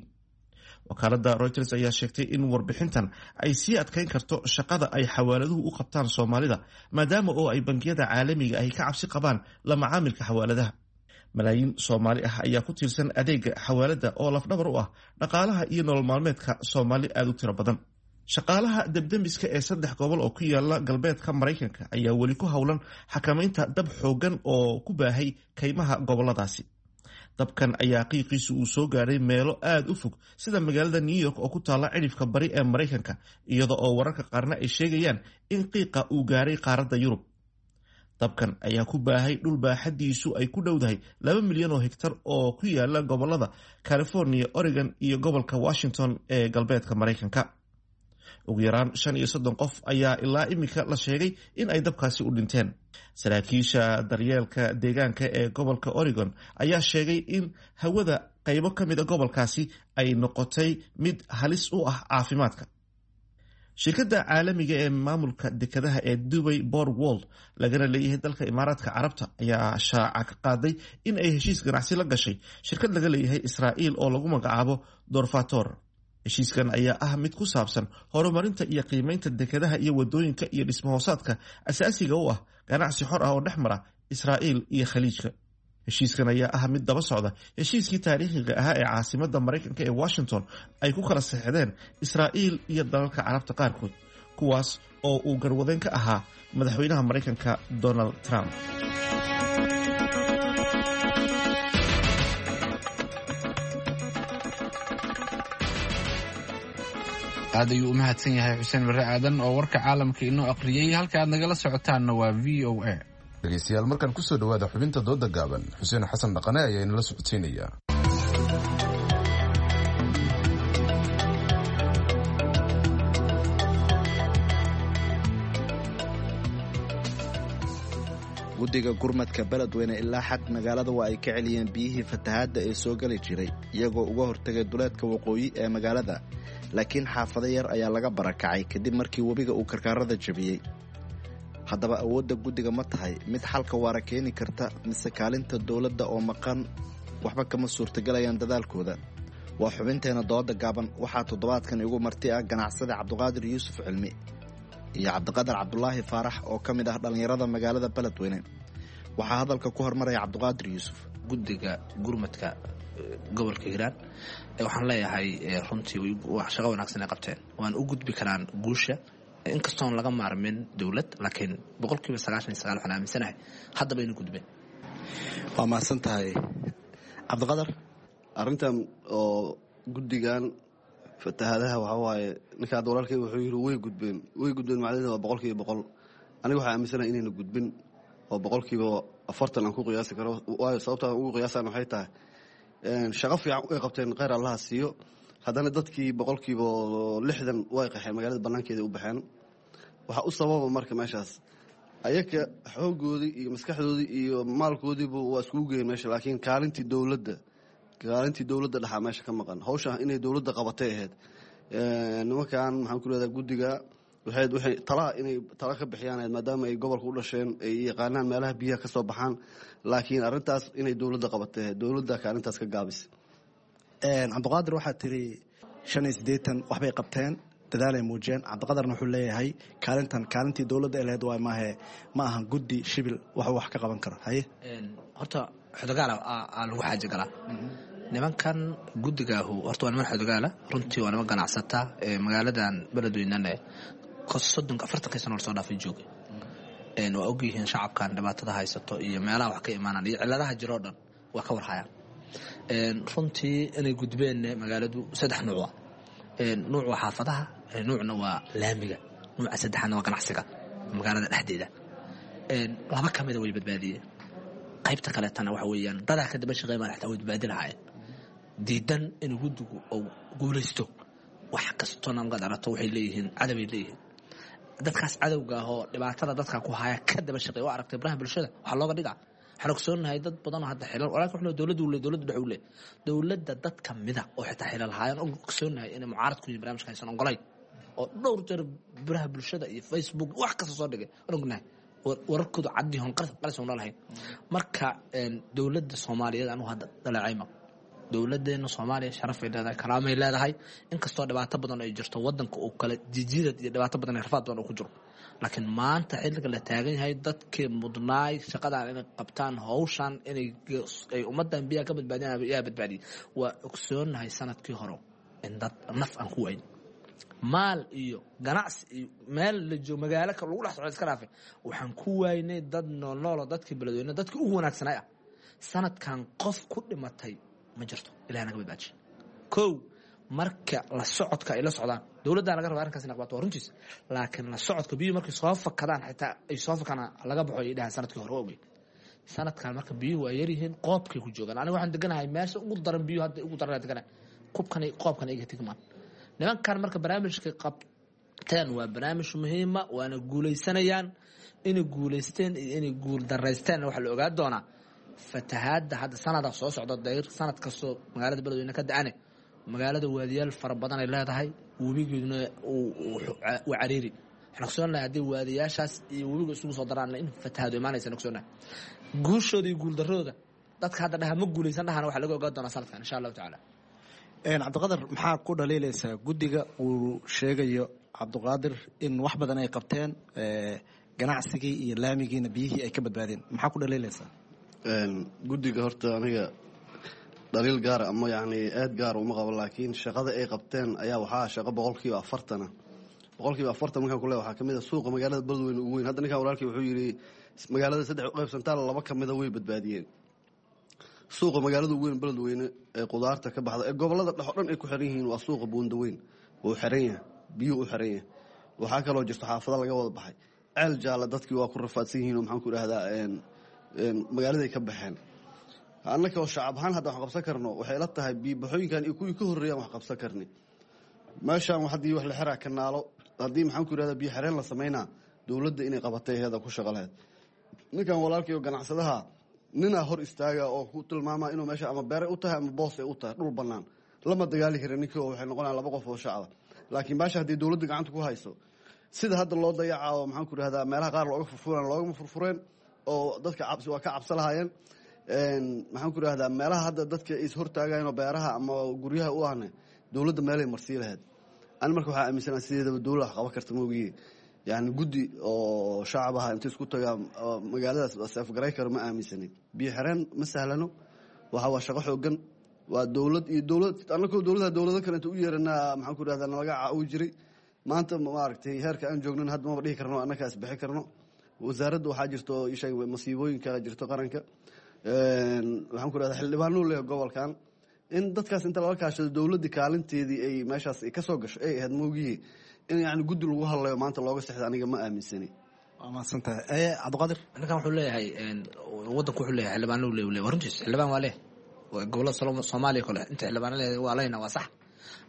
Wakaaladda Reuters ayaa sheegtay in warbixintan ay sii adkayn karto shaqada ay xawaaladuhu u qabtaan Soomaalida, maadaama oo ay bangiyada caalamiga ahi ka cabsi qabaan la macaamilka xawaaladaha. Malaayiin Soomaali ah ayaa ku tiirsan adeega xawaaladda oo lafdhabar u ah dhaqaalaha iyo nolol maalmeedka Soomaali aada u tiro badan. Shaqaalaha debdemiska ee saddex gobol oo ku yaala galbeedka Maraykanka ayaa weli ku howlan xakamaynta dab xooggan oo ku baahay kaymaha goboladaasi. Dabkan ayaa qiiqiisu uu soo gaaray meelo aada u fog, sida magaalada New York oo ku taalla cidhifka bari ee Maraykanka, iyada oo wararka qaarna ay sheegayaan in qiiqa uu gaaray qaaradda Yurub. Dabkan ayaa ku baahay dhul baaxadiisu ay ku dhowdahay laba milyan oo hegtar oo ku yaala gobolada California, Oregon iyo gobolka Washington ee galbeedka Maraykanka. Ugu yaraan shan iyo soddon qof ayaa ilaa iminka la sheegay in ay dabkaasi u dhinteen. Saraakiisha daryeelka deegaanka ee gobolka Oregon ayaa sheegay in hawada qaybo ka mid a gobolkaasi ay noqotay mid halis u ah caafimaadka. Shirkadda caalamiga ee maamulka dekadaha ee Dubai Port World, lagana leeyahay dalka Imaaraadka Carabta, ayaa shaaca ka qaaday in ay heshiis ganacsi la gashay shirkad laga leeyahay Israa'iil oo lagu magacaabo Dorfator. Heshiiskan ayaa ah mid ku saabsan horumarinta iyo qiimeynta dekadaha iyo wadooyinka iyo dhismahoosaadka asaasiga u ah ganacsi xor ah oo dhex mara Israa'iil iyo Khaliijka. Heshiiskan ayaa ah mid daba socda heshiiskii taariikhiga ahaa ee caasimadda Maraykanka ee Washington ay ku kala saxdeen Israa'iil iyo dalalka Carabta qaarkood, kuwaas oo uu garwadeen ka ahaa madaxweynaha Maraykanka Donald Trump. Aad ayuu u mahadsan yahay Xuseen Barre Aadan oo warka caalamka inoo aqriyey. Halka aad nagala socotaanna waa V O A. Dhegeystayaal, markaan kusoo dhawaada xubinta dooda gaaban. Xuseen Xasan Dhaqane ayaa inala socodsiinaya. Guddiga gurmadka Beledweyne ilaa xad magaalada waa ay ka celiyeen biyihii fatahaadda ee soo geli jiray, iyagoo uga hortagay duleedka waqooyi ee magaalada, laakiin xaafado yar ayaa laga barakacay kadib markii webiga uu karkaarada jabiyey. Haddaba, awoodda guddiga ma tahay mid xalka waara keeni karta, mise kaalinta dowladda oo maqan waxba kama suurtagalayaan dadaalkooda? Waa xubinteena dooda gaaban. Waxaa toddobaadkan igu marti ah ganacsada Cabdiqaadir Yuusuf Cilmi iyo Cabdiqadar Cabdulaahi Faarax oo ka mid ah dhallinyarada magaalada Beledweyne. Waxaa hadalka ku hormaraya Cabdiqaadir Yuusuf. Guddiga gurmadka gobolka Hiiraan waxaan leeyahay runtii wax shaqo wanaagsan ay qabteen, waan u gudbi karaan guusha, inkastoon laga maarmin dowlad, laakiin boqolkiiba sagaashan iyo sagaal waxaan aaminsanahay haddaba inu gudbeen. Waa mahadsan tahay, Cabdiqadar. Arrintan oo guddigan fatahaadaha waxaa waaye, ninka hadda walaalkay wuxuu yidhi way gudbeen, way gudbeen, macnaheedu waa boqolkiiba boqol. Aniga waxaa aaminsanahay inayna gudbin oo boqolkiiba afartan aan ku qiyaasi karo. Waayo, sababta aan ugu qiyaasaan waxay tahay shaqo fiican way qabteen, kheyr Allaha siiyo, haddana dadkii boqolkiiba lixdan way qaxeen, magaalada banaankeeda u baxeen. Waxaa u sababa marka meeshaas ayaka xooggoodii iyo maskaxdoodii iyo maalkoodiiba waa iskugu geyen meesha, laakiin kaalintii dowladda kaalintii dowladda dhexaa meesha ka maqan. Hawsha inay dowladda qabatay ahayd. Nimankan maxaan ku leedahay guddiga waxay waxay talaha inay tala ka bixiyaan ahayd, maadaama ay gobolka u dhasheen, ay yaqaanaan meelaha biyaha ka soo baxaan, laakiin arrintaas inay dowladda qabatay ahayd, dowladda kaalintaas ka gaabis. Cabdiqaadir, waxaa tiri shan iyo siddeetan waxbay qabteen, dadaalay muujiyeen. Cabdiqadarna wuxuu leeyahay kaalintan kaalintii dowladda ay lahayd waay, maahe ma ahan guddi shibil waxuu wax ka qaban karo. Haye. Horta xodogaala aa lagu xaaji galaa. Nimankan guddigaahu horta waa niman xodogaala, runtii waa niman ganacsata ee magaaladan Beledweynana soddonka afartankii sano lasoo dhaafay joogay. Waa ogyihiin shacabkan dhibaatada haysato iyo meelaha wax ka imaanaan iyo ciladaha jiroo dhan waa ka warhayaan. Runtii inay gudbeen magaaladu saddex nuuc ah. Nuuc waa xaafadaha, nuucna waa laamiga, nuuca saddexaadna waa ganacsiga magaalada dhexdeeda. Laba ka mida way badbaadiyeen, qaybta kaleetana waxa weeyaan dadaa ka daba shaqeyn baan xataa way badbaadi lahaayeen. Diidan in guddigu uu guulaysto wax kastona markaad aragto waxay leeyihiin cadaway leeyihiin. Dadkaas cadowga ah oo dhibaatada dadka ku haya ka daba shaqeey waa aragtay baraha bulshada waxaa looga dhigaa. Waxaan ogsoonahay dad badan oo hadda xilal walaakin wuxuu dowladdu le dowladdu dhex u le dowladda dad ka mida oo xitaa xilal haayaan og ogsoonahay inay mucaarad ku yihiin barnaamijka aysan ogolayn oo dhowr jeer baraha bulshada iyo Facebook wax kasta soo dhigay aan ognahay wararkoodu caddi hon qalis oon lahayn. Marka dowladda Soomaaliyeed anigu hadda dhaleecayma dowladeena Soomaaliya sharaf ay leedahay, karaamay leedahay, inkastoo dhibaato badan ay jirto wadanka uu kala jijidad iyo dhibaato badan iyo rafaad badan uu ku jiro, laakiin maanta xilliga la taagan yahay dadkii mudnaay shaqadan inay qabtaan hawshan inay ay ummadan biyaha ka badbaadiyaan yaa badbaadiyay. Waa ogsoonahay sanadkii hore in dad naf aan ku wayn maal iyo ganacsi iyo meel la joogo magaalo ka lagu dhex socdo iska dhaafay waxaan ku waynay dad noolnoolo dadkii beledweyne dadkii ugu wanaagsanay ah. Sanadkan qof ku dhimatay ma jirto, ilaah naga badbaajiy. Kow marka la socodka ay la socdaan dowladdaa laga raba arrinkaas inay qabato waa runtiis, laakiin la socodka biyuhu markay soo fakadaan xitaa ay soo fakadaan laga baxo ay dhahaan sanadkii hore waa ogeyd. Sanadkan marka biyuhu waa yaryihiin qoobkay ku joogaan. Aniga waxaan deganahay meesha ugu daran biyuhu hadda ugu daran deganahay kubkan qoobkan iga tigmaan nimankan. Marka barnaamijka qabteen waa barnaamij muhiima waana guulaysanayaan. Inay guulaysteen iyo inay guul daraysteen waxaa la ogaa doonaa fatahaadda hadda sanada soo socda dayr sanad kastoo magaalada beledweyne ka da-ane magaalada waadiyaal fara badan ay leedahay, webigeeduna waa cariiri. Waxaan ogsoonahay haddii waadiyaashaas iyo webiga isugu soo daraan in fatahaadu imaanaysa ogsoonahay. Guushooda iyo guuldarradooda dadka hadda dhaha ma guulaysan dhahana waxaa laga ogaa doonaa sanadkan insha allahu tacaala. Cabdiqadar, maxaa ku dhaliilaysaa guddiga uu sheegayo Cabdiqaadir in wax badan ay qabteen ganacsigii iyo laamigiina biyihii ay ka badbaadeen, maxaa ku dhaliilaysaa? Guddiga horta aniga dhaliil gaara ama yacni aad gaara uma qabo, laakiin shaqada ay qabteen ayaa waxaa shaqo boqolkiiba afartana boqolkiiba afartan markaan ku leeyahay waxaa kamid ah suuqa magaalada Beledweyne ugu weyn. Hadda ninkan walaalkii wuxuu yidhi magaalada saddex u qaybsantaa laba ka mida way badbaadiyeen. Suuqa magaalada ugu weyn Beledweyne ee qudaarta ka baxda ee gobolada dhex oo dhan ay ku xiran yihiin waa suuqa Buundaweyn, wuu xiran yahay, biyuhu u xiran yahay. Waxaa kaloo jirto xaafado laga wada baxay, ceel jaalla dadkii waa ku rafaadsan yihiin oo maxaan ku idhahdaa magaaladay ka baxeen. Annaka oo shacab ahaan hadda wax qabsan karno waxay la tahay biibaxooyinkan iyo kuwii ka horreeyaan wax qabsan karni. Meeshaan haddii wax la xiraa kanaalo, haddii maxaan ku idhahdaa biyo xireen la samaynaa, dowladda inay qabatay heeda ku shaqo lahayd. Ninkan walaalkii oo ganacsadaha ninaa hor istaaga oo ku tilmaama inuu meesha ama beere u tahay ama boos ay u tahay dhul bannaan lama dagaali karin ninkii oo waxay noqonayaan laba qof oo shacaba. Laakiin meesha haddii dowladda gacanta ku hayso sida hadda loo dayacaa oo maxaan ku idhahdaa meelaha qaar looga furfureen loogama furfureen oo dadka cabsi waa ka cabsa lahaayeen. Maxaan ku idhahdaa meelaha hadda dadka is hortaagayen oo beeraha ama guryaha u ahna dowladda meelay marsii lahayd. Ani marka waxaa aaminsanaa sideedaba dowladda wax qaban karta maogiye, yacni guddi oo shacab aha inta isku tagaa magaaladaas seefgaray karo ma aaminsanin. Biyo xireen ma sahlano, waxa waa shaqo xoogan, waa dowlad iyo dowlad annakoo dowladaha dowlado kale inta u yeeranaa maxaan ku idhahdaa nalaga caawi jiray. Maanta maaragtay heerka aan joognan hadda maba dhihi karno annakaa isbixi karno. Wasaaradda waxaa jirto isheeg masiibooyinka jirto qaranka, waxaan ku idhahdaa xildhibaanuu leeyahay gobolkan in dadkaas inta lala kaashado dowladda kaalinteedii ay meeshaas ka soo gasho ay ahayd moogiye in yacni guddi lagu hadlayo maanta looga sexda aniga ma aaminsani. Waa mahadsantahay Cabdiqaadir. Ninkan wuxuu leeyahay wadanku wuxuu leeyahay xildhibaano uu leeyahay, waa runtiis xildhibaan waa leh gobolada Soomaaliya kale inta xildhibaano leeyahay waa leyna waa sax,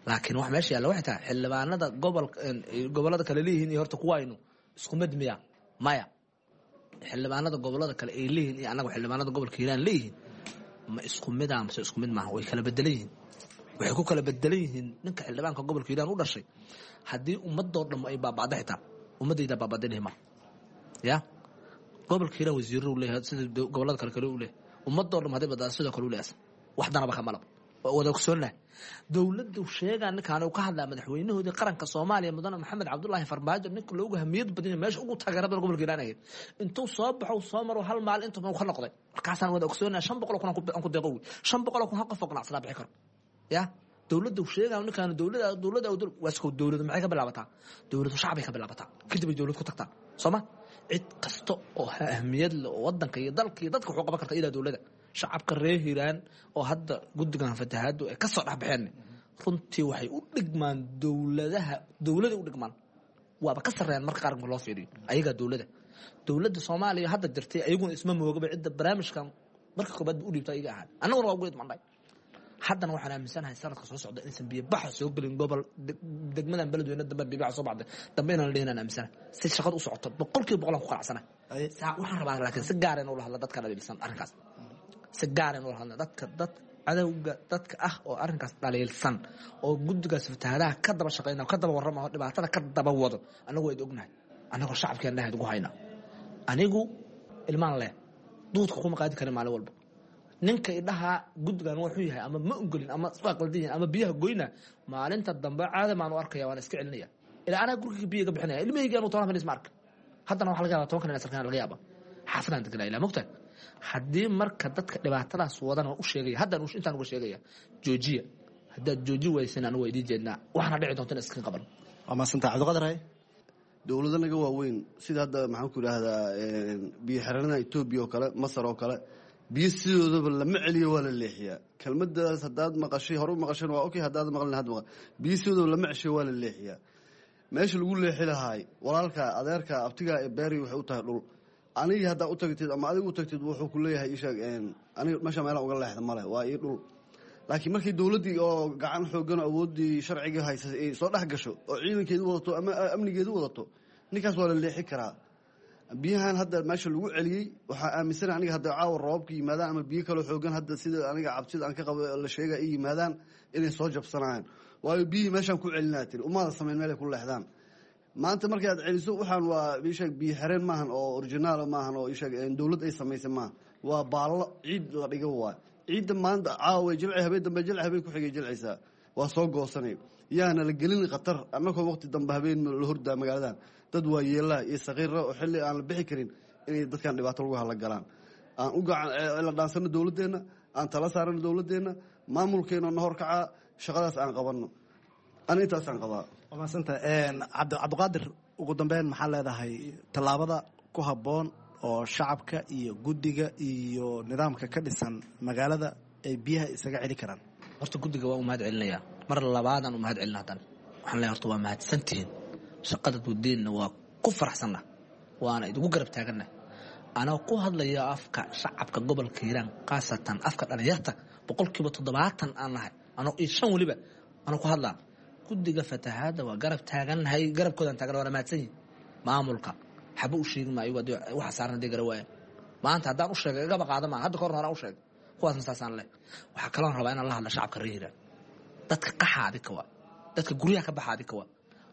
laakiin wax meesha yaalla waxay tahay xildhibaanada gobol gobolada kale leeyihiin iyo horta kuwaynu isku mid miya maya. Xildhibaanada gobolada kale ay leeyihiin iyo annaga xildhibaanada gobolka Hiiraan leeyihiin ma isku mid ah mise isku mid maaha? Way kala bedelan yihiin. Waxay ku kala bedelan yihiin ninka xildhibaanka gobolka Hiiraan u dhashay haddii ummadoo dhan ay baaba'da xitaa ummadayda baaba'da ma ya gobolka Hiiraan wasiirro u leeyahay sida gobolada kale kale u leeyahay ummadoo dhan hadday badbaado sidoo kale u leeyahay wax danaba kama labo. Waa wada ogsoonnahay dowladdu sheegaa ninkaan uu ka hadlaa madaxweynahoodii qaranka Soomaaliya mudane Maxamed Cabdullaahi Farmaajo ninka loogu hamiyad badan yahay meesha ugu taageerada badan gobolka Hiiraan ahayd intuu soo baxo soo maro hal maalin intuu ka noqday markaasaan wada ogsoonnahay shan boqol oo kun aan ku deeqo shan boqol oo kun hal qof oo ganacsadaa bixi karo ya dowladdu sheegaa ninkaan dowladda dowladda waa isku dowladdu maxay ka bilaabataa? Dowladdu shacbay ka bilaabataa, kadib ay dowlad ku tagtaa sooma. Cid kasta oo ahmiyad leh oo wadanka iyo dalka iyo dadka wuxuu qaban karta ilaa dowladda. Shacabka reer Hiiraan oo hadda guddigan fatahaadu ay ka soo dhexbaxeen runtii waxay u dhigmaan dowladaha, dowladay u dhigmaan, waaba ka sarreeyaan marka qaarka loo fiiriyo ayagaa dowladda. Dowladda Soomaaliya hadda jirtay ayaguna isma moogaba cidda barnaamijkan marka koobaad ba u dhiibta ayaga ahaan, annaguna waa ugu idmandhay. Haddana waxaan aaminsanahay sanadka soo socda inaysan biyobaxa soo gelin gobol degmadan Beledweyne dambe biyobaxa soo baxday dambe inaan la dhihin aan aaminsanahay. Si shaqada u socoto boqolkiiba boqol aan ku qanacsanahay. Waxaan rabaa laakiin si gaar in ula hadla dadka dhaliilsan arrinkaas, si gaar in ula hadla dadka dad cadowga dadka ah oo arrinkaas dhaliilsan oo guddigaas fatahaadaha ka daba shaqeyna, ka daba warrama oo dhibaatada ka daba wado. Annagu wayd ognahay, annagoo shacabkeen dhahayd ugu hayna. Anigu ilmaan leh duudka kuma qaadi karin maalin walba ninka idhaha guddigan wuxuu yahay ama ma ogolin ama waa qaldan yahay ama biyaha goyna maalinta dambe caada maan u arkaya, waan iska celinaya ilaa anaa guriga biyaga bixinaya ilmahayga anuu toban fanis ma arka. Haddana waxa laga yaabaa toban kan inaan sarkaan laga yaaba xaafadaan deganaa ilaa mogtahay. Haddii marka dadka dhibaatadaas wadan waan u sheegaya, haddaan intaan uga sheegaya joojiya. Haddaad jooji waysan anigu waa idiin jeednaa, waxaana dhici doonta in iska qaban. Waa mahadsanta Cabdiqadir. Hay dowlado naga waaweyn sida hadda maxaan ku idhaahdaa biyo xireenada Etoobiya oo kale, Masar oo kale, biyo sidoodaba lama celiyo, waa la leexiyaa. Kelmadaas haddaad maqashay hore u maqasheen waa okay, haddaad maqlin had maqal. Biyo sidoodaba lama ceshiyo, waa la leexiyaa. Meesha lagu leexi lahaay walaalka, adeerka, abtiga ee beeri waxay u tahay dhul. Anigii haddaa u tagtid ama adigu u tagtid wuxuu ku leeyahay isheeg aniga meesha meelaan uga leexda male, waa ii dhul. Laakiin markii dowladdii oo gacan xoogan oo awooddii sharciga haysay ay soo dhex gasho oo ciidankeedu wadato ama amnigeedu wadato, ninkaas waa la leexi karaa. Biyahan hadda meesha lagu celiyey waxaa aaminsana aniga hadda caawa roobabka yimaadaan ama biyo kaloo xoogan hadda sida aniga cabsida aan ka qabo la sheega ay yimaadaan inay soo jabsanayaan, waayo biyihii meeshaan ku celinaa tiri umaada samayn meelay ku leexdaan. Maanta markii aad celiso waxaan waa isheeg biyo xereen maahan oo originaal maahan oo isheeg dowlad ay samaysay maaha, waa baallo ciid la dhigo waay. Ciidda maanta caawa jilci, habeen dambe jilci, habeen ku xigay jilcaysaa, waa soo goosanay. Yaana la gelin khatar annagoo waqti dambe habeen la hordaa magaaladan dad waa yeelaha iyo sakiira oo xilli aan la bixi karin inay dadkan dhibaato lagu hala galaan. Aan u gacan la dhaansano dowladdeenna, aan tala saarano dowladdeenna, maamulkeena na horkacaa, shaqadaas aan qabanno. Ani intaasaan qabaa. Waa mahadsanta cabdi Cabdiqaadir. Ugu dambeyn maxaa leedahay tallaabada ku habboon oo shacabka iyo guddiga iyo nidaamka ka dhisan magaalada ay biyaha isaga celi karaan? Horta guddiga waa u mahad celinayaa, mar labaadaan u mahad celina. Haddana waxaan leeyahay horta waa mahadsantihiin, shaqada guddeenna waa ku faraxsanna, waana idigu garab taaganna. Anoo ku hadlaya afka shacabka gobolka Hiiraan, khaasatan afka dhalinyarta boqolkiiba toddobaatan aan nahay anoo iyo shan weliba anoo ku hadlaa guddiga fatahaadda waa garab taagannahay, garabkoodaan taagan, waana mahadsan yihin. Maamulka xaba u sheegi maayo waxa saaran hadii gara waaya maanta haddaan u sheegay igaba qaada maa hadda kahorna horaan u sheegay kuwaasna saasaan leh. Waxaa kaloon rabaa inaan la hadla shacabka reer Hiiraan, dadka qaxa adika waa, dadka guryaha ka baxa adika waa,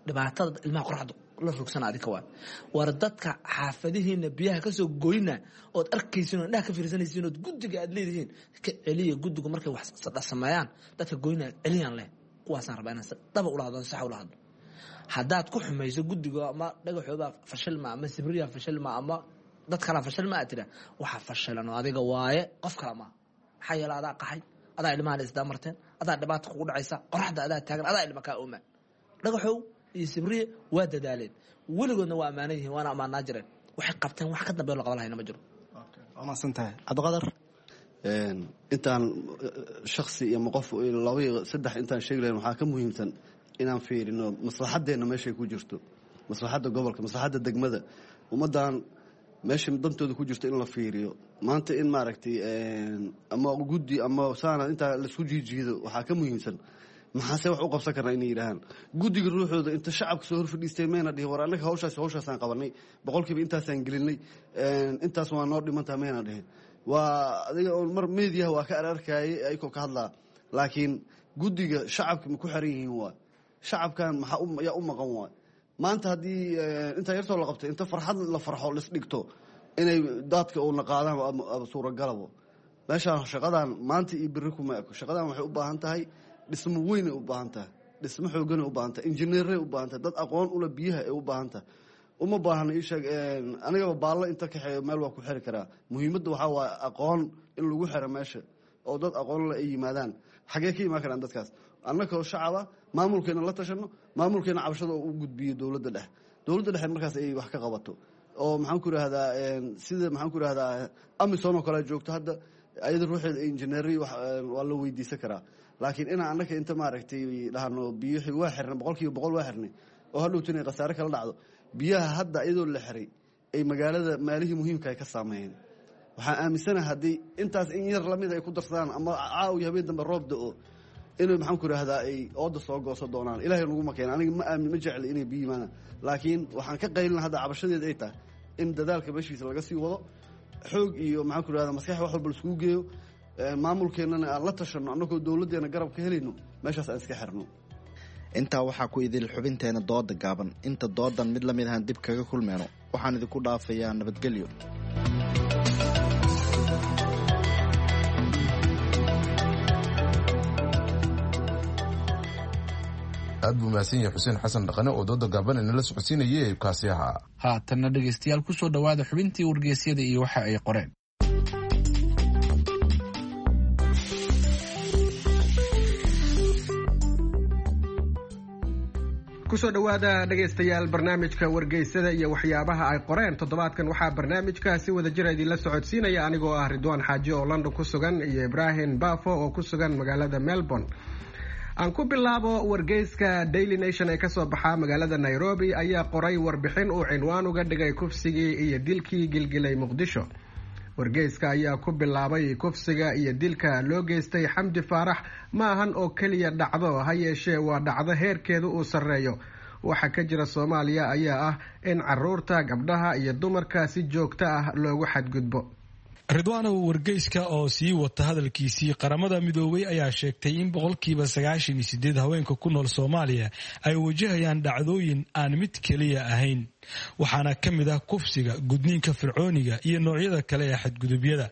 dhibaatada ilmaha qoraxda la rogsana adika waa. War dadka xaafadihiina biyaha kasoo goyna ood arkaysiin oo indhaha ka fiirsanaysiin ood guddiga aad leedihiin ka celiya. Guddigu markay wax sameeyaan dadka goyna celiyaan leh, kuwaasaan rabaa inaan si dhaba ula hadlo, sax ula hadlo. Haddaad ku xumayso guddiga ama dhagaxoobaa fashilma ama sibriya fashilma ama dad kalaa fashilma aad tira, waxa fashilan oo adiga waaye, qof kala maaha. Maxaa yeele adaa qaxay, adaa ilmahan isdaa marteen, adaa dhibaata kugu dhacaysa, qoraxda adaa taagan, adaa ilma kaa oomaan. Dhagaxow iyo sibriye waa dadaaleen, weligoodna waa ammaanan yihiin, waana ammaanaa jireen. Waxay qabteen wax ka dambeyo la qaban lahayna ma jiro. Waa mahadsantahay Cabdiqadar. Intaan shaksi iyo qof laba iyo saddex intaan sheegi lahayn waxaa ka muhiimsan inaan fiirino maslaxaddeenna meeshay ku jirto, maslaxadda gobolka, maslaxadda degmada, ummaddan meesha dantooda ku jirto in la fiiriyo. Maanta in maaragtay ama guddi ama saana intaa laisku jiijiido waxaa ka muhiimsan maxaase wax u qabsan karnaa inay yidhaahaan guddiga ruuxooda inta shacabka soo horfadhiistay mayna dhihin war annaga hawshaas hawshaasaan qabanay boqolkiiba intaasaan gelinay intaas waa noo dhimantaa mayna dhihin. Waa adiga oon mar meediyaha waa ka ararkaayay ayagoo ka hadlaa, laakiin guddiga shacabka ma ku xiran yihiin? Waa shacabkan maxaa yaa u maqan? Waay maanta haddii intaa yartoo la qabtay inta farxad la farxo lisdhigto inay daadka uuna qaadaan suuragalabo. Meeshaan shaqadan maanta iyo berri kuma eko. Shaqadan waxay u baahan tahay dhismo weynay u baahan tahay, dhismo xooganay u baahan tahay, injineeray u baahan tahay, dad aqoon ula biyaha ay u baahan tahay. Uma baahna ii sheeg anigaba baallo inta kaxeeyo meel waa ku xiri karaa. Muhiimadda waxaa waaye aqoon in lagu xiro meesha oo dad aqoon le ay yimaadaan. Xagee ka imaan karaan dadkaas? Annakoo shacaba maamulkeena la tashano, maamulkeena cabashada oo u gudbiyo dowladda dhexe, dowladda dhexe markaas ay wax ka qabato Oo maxaan ku irahdaa, sida maxaan ku irahdaa Amison oo kale joogto hadda, ayada ruuxeeda injineeri waa la weydiisan karaa. Laakiin inaan annaka inta maaragtay dhahno biyuxii waa xirnay, boqol kiiba boqol waa xirnay, oo hadhowta inay khasaare kala dhacdo. Biyaha hadda iyadoo la xiray ay magaalada maalihii muhiimka ay ka saameeyeen. Waxaan aaminsanaha haddii intaas in yar lamid ay ku darsadaan ama caawiyo habeen dambe roob da-o, inay maxaan ku irahdaa ay ooda soo goosan doonaan. Ilahay naguma keena. Aniga ma aamin, ma jecli inay biyo yimaadaan, laakiin waxaan ka qaylina hadda cabashadeed ay tahay in dadaalka meeshiisa laga sii wado, xoog iyo maxaan ku irahdaa maskax wax walba laiskugu geeyo, maamulkeennana aan la tashanno, annagoo dowladdeena garab ka helayno, meeshaas aan iska xirno. Intaa waxaa ku idil xubinteena dooda gaaban. Inta doodan mid lamid ahaan dib kaga kulmeyno, waxaan idinku dhaafayaa nabadgelyo. Aad buu mahadsan yahay Xuseen Xasan Dhaqane oo dooda gaaban inala socodsiinayay kaasi ahaa. Haatanna dhegaystayaal, kusoo dhowaada xubintii wargeysyada iyo waxa ay qoreen. Kusoo dhowaada dhegaystayaal barnaamijka wargeysada iyo waxyaabaha ay qoreen toddobaadkan. Waxaa barnaamijka si wada jira idinla socodsiinaya anigoo ah Ridwaan Xaaji oo London ku sugan iyo Ibraahim Bafo oo ku sugan magaalada Melbourne. Aan ku bilaabo wargeyska Daily Nation ee kasoo baxaa magaalada Nairobi ayaa qoray warbixin uu cinwaan uga dhigay kufsigii iyo dilkii gilgilay Muqdisho. Wargeyska ayaa ku bilaabay, kufsiga iyo dilka loo geystay Xamdi Faarax ma ahan oo keliya dhacdo, ha yeeshee waa dhacdo heerkeedu uu sarreeyo. Waxa ka jira Soomaaliya ayaa ah in caruurta, gabdhaha iyo dumarka si joogto ah loogu xadgudbo. Ridwaanow, wargeyska oo sii wata hadalkiisii, Qaramada Midoobay ayaa sheegtay in boqolkiiba sagaashan iyo sideed haweenka ku nool Soomaaliya ay wajahayaan dhacdooyin aan mid keliya ahayn, waxaana ka mid ah kufsiga, gudniinka fircooniga iyo noocyada kale ee xadgudubyada.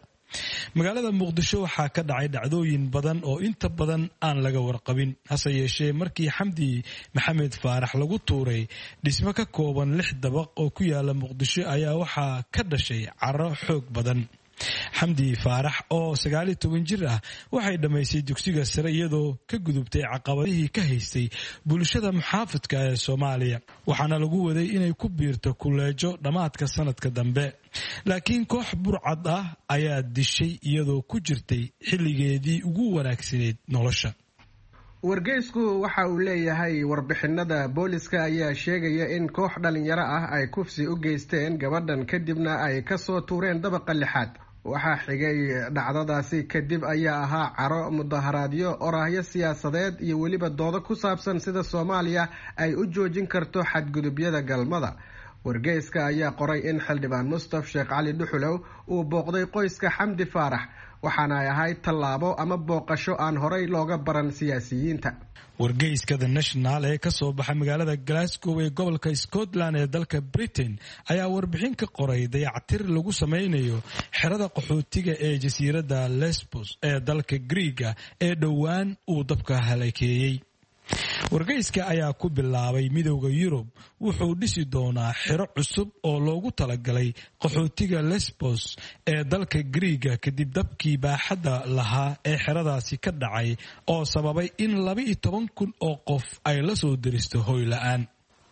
Magaalada Muqdisho waxaa ka dhacay dhacdooyin badan oo inta badan aan laga warqabin. Hase yeeshee, markii Xamdi Maxamed Faarax lagu tuuray dhismo ka kooban lix dabaq oo ku yaala Muqdisho ayaa waxaa ka dhashay caro xoog badan. Xamdi Faarax oo sagaaliyo toban jir ah waxay dhammaysay dugsiga sare iyadoo ka gudubtay caqabadihii ka haystay bulshada muxaafidka ee Soomaaliya, waxaana lagu waday inay ku biirto kuleejo dhammaadka sanadka dambe, laakiin koox burcad ah ayaa dishay iyadoo ku jirtay xilligeedii ugu wanaagsaneyd nolosha. Wargeysku waxa uu leeyahay, warbixinada booliska ayaa sheegaya in koox dhalinyaro ah ay kufsi u geysteen gabadhan, kadibna ay kasoo tuureen dabaqa lixaad. Waxaa xigay dhacdadaasi kadib ayaa ahaa caro, mudaharaadyo, oraahyo siyaasadeed iyo weliba doodo ku saabsan sida Soomaaliya ay u joojin karto xadgudubyada galmada. Wargeyska ayaa qoray in xildhibaan Mustaf Sheekh Cali Dhuxulow uu booqday qoyska Xamdi Faarax, waxaana ay ahayd tallaabo ama booqasho aan horey looga baran siyaasiyiinta. Wargeyska The National ee kasoo baxa magaalada Glasgow ee gobolka Scotland ee dalka Britain ayaa warbixin ka qoray dayactir lagu sameynayo xerada qaxootiga ee jasiiradda Lesbos ee dalka Griiga ee dhowaan uu dabka halakeeyey. Wargeyska ayaa ku bilaabay, Midowda Yurub wuxuu dhisi doonaa xero cusub oo loogu talagalay qaxootiga Lesbos ee dalka Griiga kadib dabkii baaxadda lahaa ee xeradaasi ka dhacay oo sababay in laba-iyo toban kun oo qof ay la soo deristo hoy la-aan.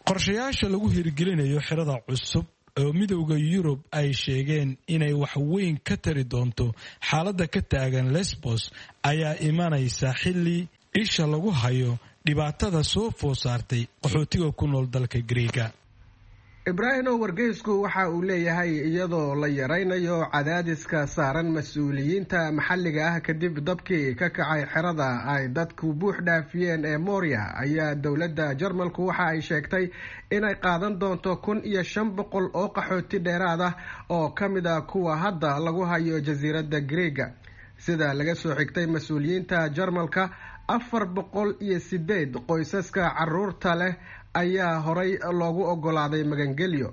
Qorshayaasha lagu hirgelinayo xerada cusub oo Midowda Yurub ay sheegeen inay wax weyn ka tari doonto xaaladda ka taagan Lesbos ayaa imanaysa xilli isha lagu hayo dhibaatada soo food saartay qaxootiga ku nool dalka Griiga. Ibraahimow, wargeysku waxa uu leeyahay, iyadoo la yaraynayo cadaadiska saaran mas-uuliyiinta maxalliga ah kadib dabkii ka kacay xerada ay dadku buux dhaafiyeen ee Moria, ayaa dowladda Jarmalku waxa ay sheegtay inay qaadan doonto kun iyo shan boqol oo qaxooti dheeraad ah oo ka mid ah kuwa hadda lagu hayo jasiiradda Griiga. Sida laga soo xigtay mas-uuliyiinta Jarmalka, afar boqol iyo sideed qoysaska caruurta leh ayaa horay loogu ogolaaday magangelyo.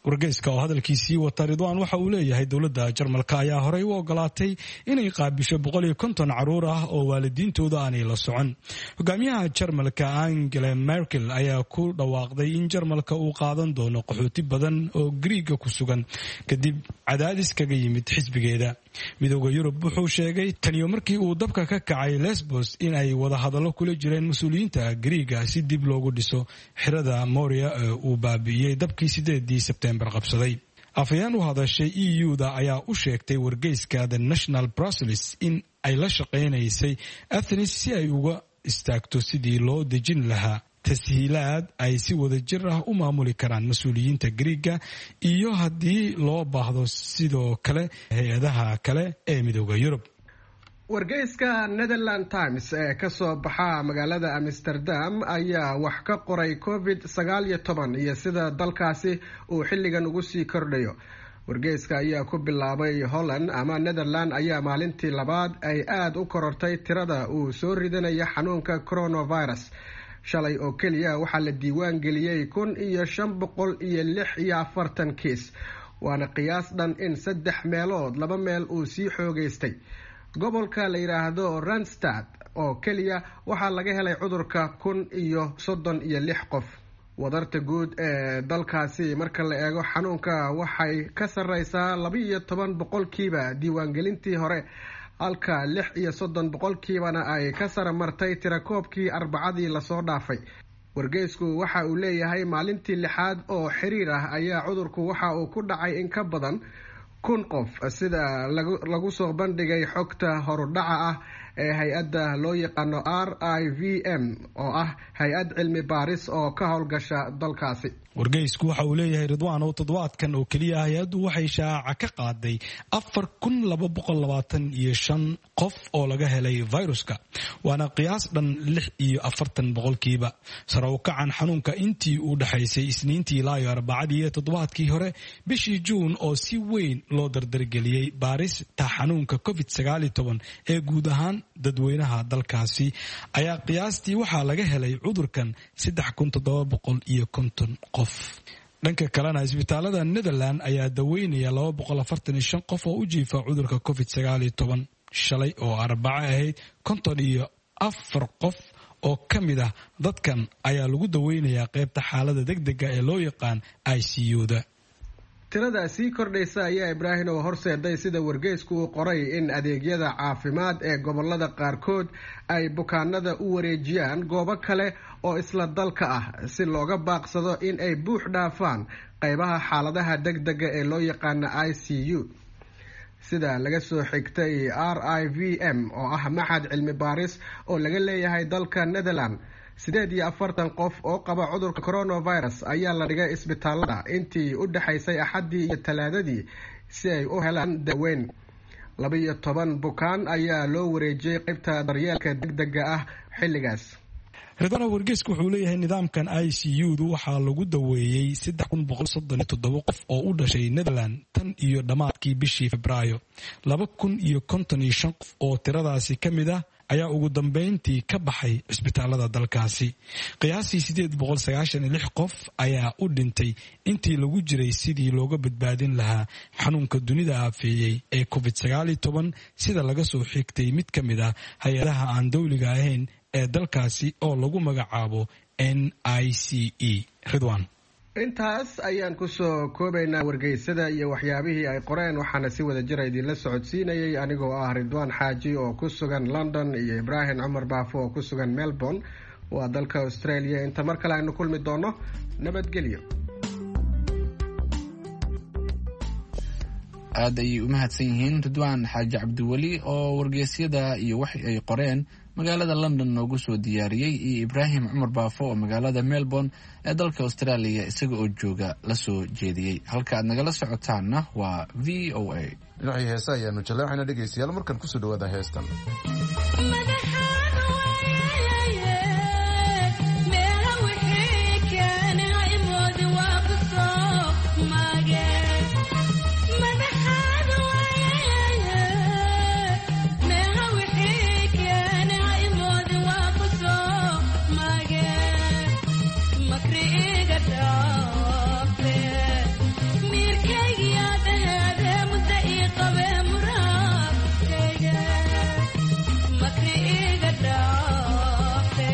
Wargeyska oo hadalkiisii wata, Ridwaan, waxa uu leeyahay, dowladda Jarmalka ayaa horey u ogolaatay inay qaabisho boqol iyo konton caruur ah oo waalidiintooda aanay la socon. Hogaamiyaha Jarmalka Angela Merkel ayaa ku dhawaaqday in Jarmalka uu qaadan doono qaxooti badan oo Griiga ku sugan kadib cadaadis kaga yimid xisbigeeda. Midowda Yurub wuxuu sheegay taniyo markii uu dabka ka kacay Lesbos in ay wadahadallo kula jireen mas-uuliyiinta Griiga si dib loogu dhiso xerada Moria ee uu baabi'iyey dabkii sideedii Sebtembar qabsaday. Afhayeen u hadashay E U da ayaa u sheegtay wargeyska The National Brussels in ay la shaqaynaysay Athens si ay uga istaagto sidii loo dejin lahaa tashiilaad ay si wadajir ah u maamuli karaan mas-uuliyiinta Griiga iyo haddii loo baahdo sidoo kale hay-adaha kale ee Midooda Yurub. Wargeyska Netherland Times ee kasoo baxa magaalada Amsterdam ayaa wax ka qoray covid sagaal iyo toban iyo sida dalkaasi uu xilligan ugu sii kordhayo. Wargeyska ayaa ku bilaabay Holland ama Netherland ayaa maalintii labaad ay aada u korortay tirada uu soo ridanaya xanuunka coronavirus. Shalay oo keliya waxaa la diiwaan geliyey kun iyo shan boqol iyo lix iyo afartan kiis, waana qiyaas dhan in saddex meelood laba meel uu sii xoogeystay. Gobolka la yidhaahdo Randstad oo keliya waxaa laga helay cudurka kun iyo soddon iyo lix qof. Wadarta guud ee dalkaasi marka la eego xanuunka waxay ka sarreysaa laba iyo toban boqolkiiba diiwaangelintii hore, halka lix iyo soddon boqolkiibana ay ka sara martay tirakoobkii Arbacadii lasoo dhaafay. Wargeysku waxa uu leeyahay maalintii lixaad oo xiriir ah ayaa cudurku waxa uu ku dhacay in ka badan kun qof, sida lagu soo bandhigay xogta horudhaca ah ee hay-adda loo yaqaano R I V M oo ah hay-ad cilmi baaris oo ka howlgasha dalkaasi. Wargeysku waxa uu leeyahay Ridwaan oo toddobaadkan oo keliya hay-addu waxay shaaca ka qaaday afar kun laba boqol labaatan iyo shan qof oo laga helay viruska, waana qiyaas dhan lix iyo afartan boqolkiiba. Sare u kacan xanuunka intii u dhexaysay Isniintii ilaa iyo Arbacadii iyo toddobaadkii hore bishii Juun oo si weyn loo dardargeliyey baarista xanuunka covid sagaal iyo toban ee guud ahaan dadweynaha dalkaasi ayaa qiyaastii waxaa laga helay cudurkan saddex kun toddoba boqol iyo konton qof. Dhanka kalena isbitaalada Netherland ayaa daweynaya laba boqol afartan iyo shan qof oo u jiifa cudurka covid sagaal iyo toban. Shalay oo Arbaco ahayd konton iyo afar qof oo ka mid ah dadkan ayaa lagu daweynayaa qaybta xaalada degdega ee loo yaqaan I C U da. Tirada sii kordhaysa ayaa Ibraahim oo horseeday sida wargeysku uu qoray in adeegyada caafimaad ee gobolada qaarkood ay bukaanada u wareejiyaan goobo kale oo isla dalka ah si looga baaqsado in ay buux dhaafaan qaybaha xaaladaha degdega ee loo yaqaano I C U. Sida laga soo xigtay R I V M oo ah maxad cilmi baaris oo laga leeyahay dalka Netherland, sideed iyo afartan qof oo qaba cudurka coronavirus ayaa la dhigay isbitaalada intii u dhexaysay Axaddii iyo Talaadadii si ay u helaan daaweyn. Laba iyo toban bukaan ayaa loo wareejiyey qaybta daryeelka degdega ah xilligaas. Ridwaana, wargeysku wuxuu leeyahay nidaamkan I C U du waxaa lagu daweeyey saddex kun boqol soddon iyo toddoba qof oo u dhashay Netherland tan iyo dhammaadkii bishii Febraayo. Laba kun iyo konton iyo shan qof oo tiradaasi ka mid ah ayaa ugu dambeyntii ka baxay cisbitaalada dalkaasi. Qiyaastii sideed boqol sagaashan iyo lix qof ayaa u dhintay intii lagu jiray sidii looga badbaadin lahaa xanuunka dunida aafeeyey ee covid sagaal iyo toban, sida laga soo xigtay mid ka mid ah hay-adaha aan dowliga ahayn ee dalkaasi oo lagu magacaabo N I C E. Ridwaan, intaas ayaan kusoo koobaynaa wargeysada iyo waxyaabihii ay qoreen, waxaana si wada jira idinla socodsiinayay anigoo ah Ridwaan Xaaji oo ku sugan London iyo Ibraahim Cumar Baafo oo ku sugan Melbourne waa dalka Australia. Inta mar kale aynu kulmi doono, nabadgelyo. Aad ayay u mahadsan yihiin Ridwaan Xaaji Cabdiweli oo wargeysyada iyo wax ay qoreen magaalada London noogu soo diyaariyey, iyo Ibraahim Cumar Baafo oo magaalada Melbourne ee dalka Australia isaga oo jooga la soo jeediyey. Halka aad nagala socotaanna waa V O A. Dhinacii heesa ayaanu jaleexayna dhegaystayaal, markan kusoo dhawaada heestan. Makri iga dhaafe.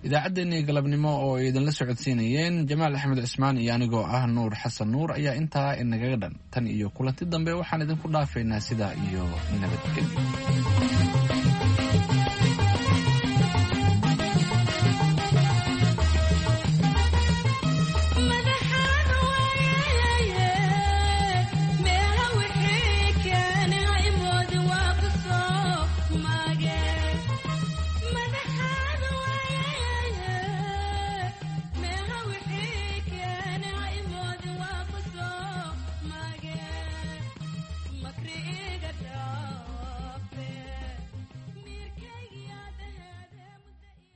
Idaacaddeenii galabnimo oo ay idinla socodsiinayeen Jamaal Axmed Cismaan iyo anigoo ah Nuur Xasan Nuur ayaa intaa inagaga dhan. Tan iyo kulanti dambe waxaan idinku dhaafaynaa sidaa iyo nabadgelyo.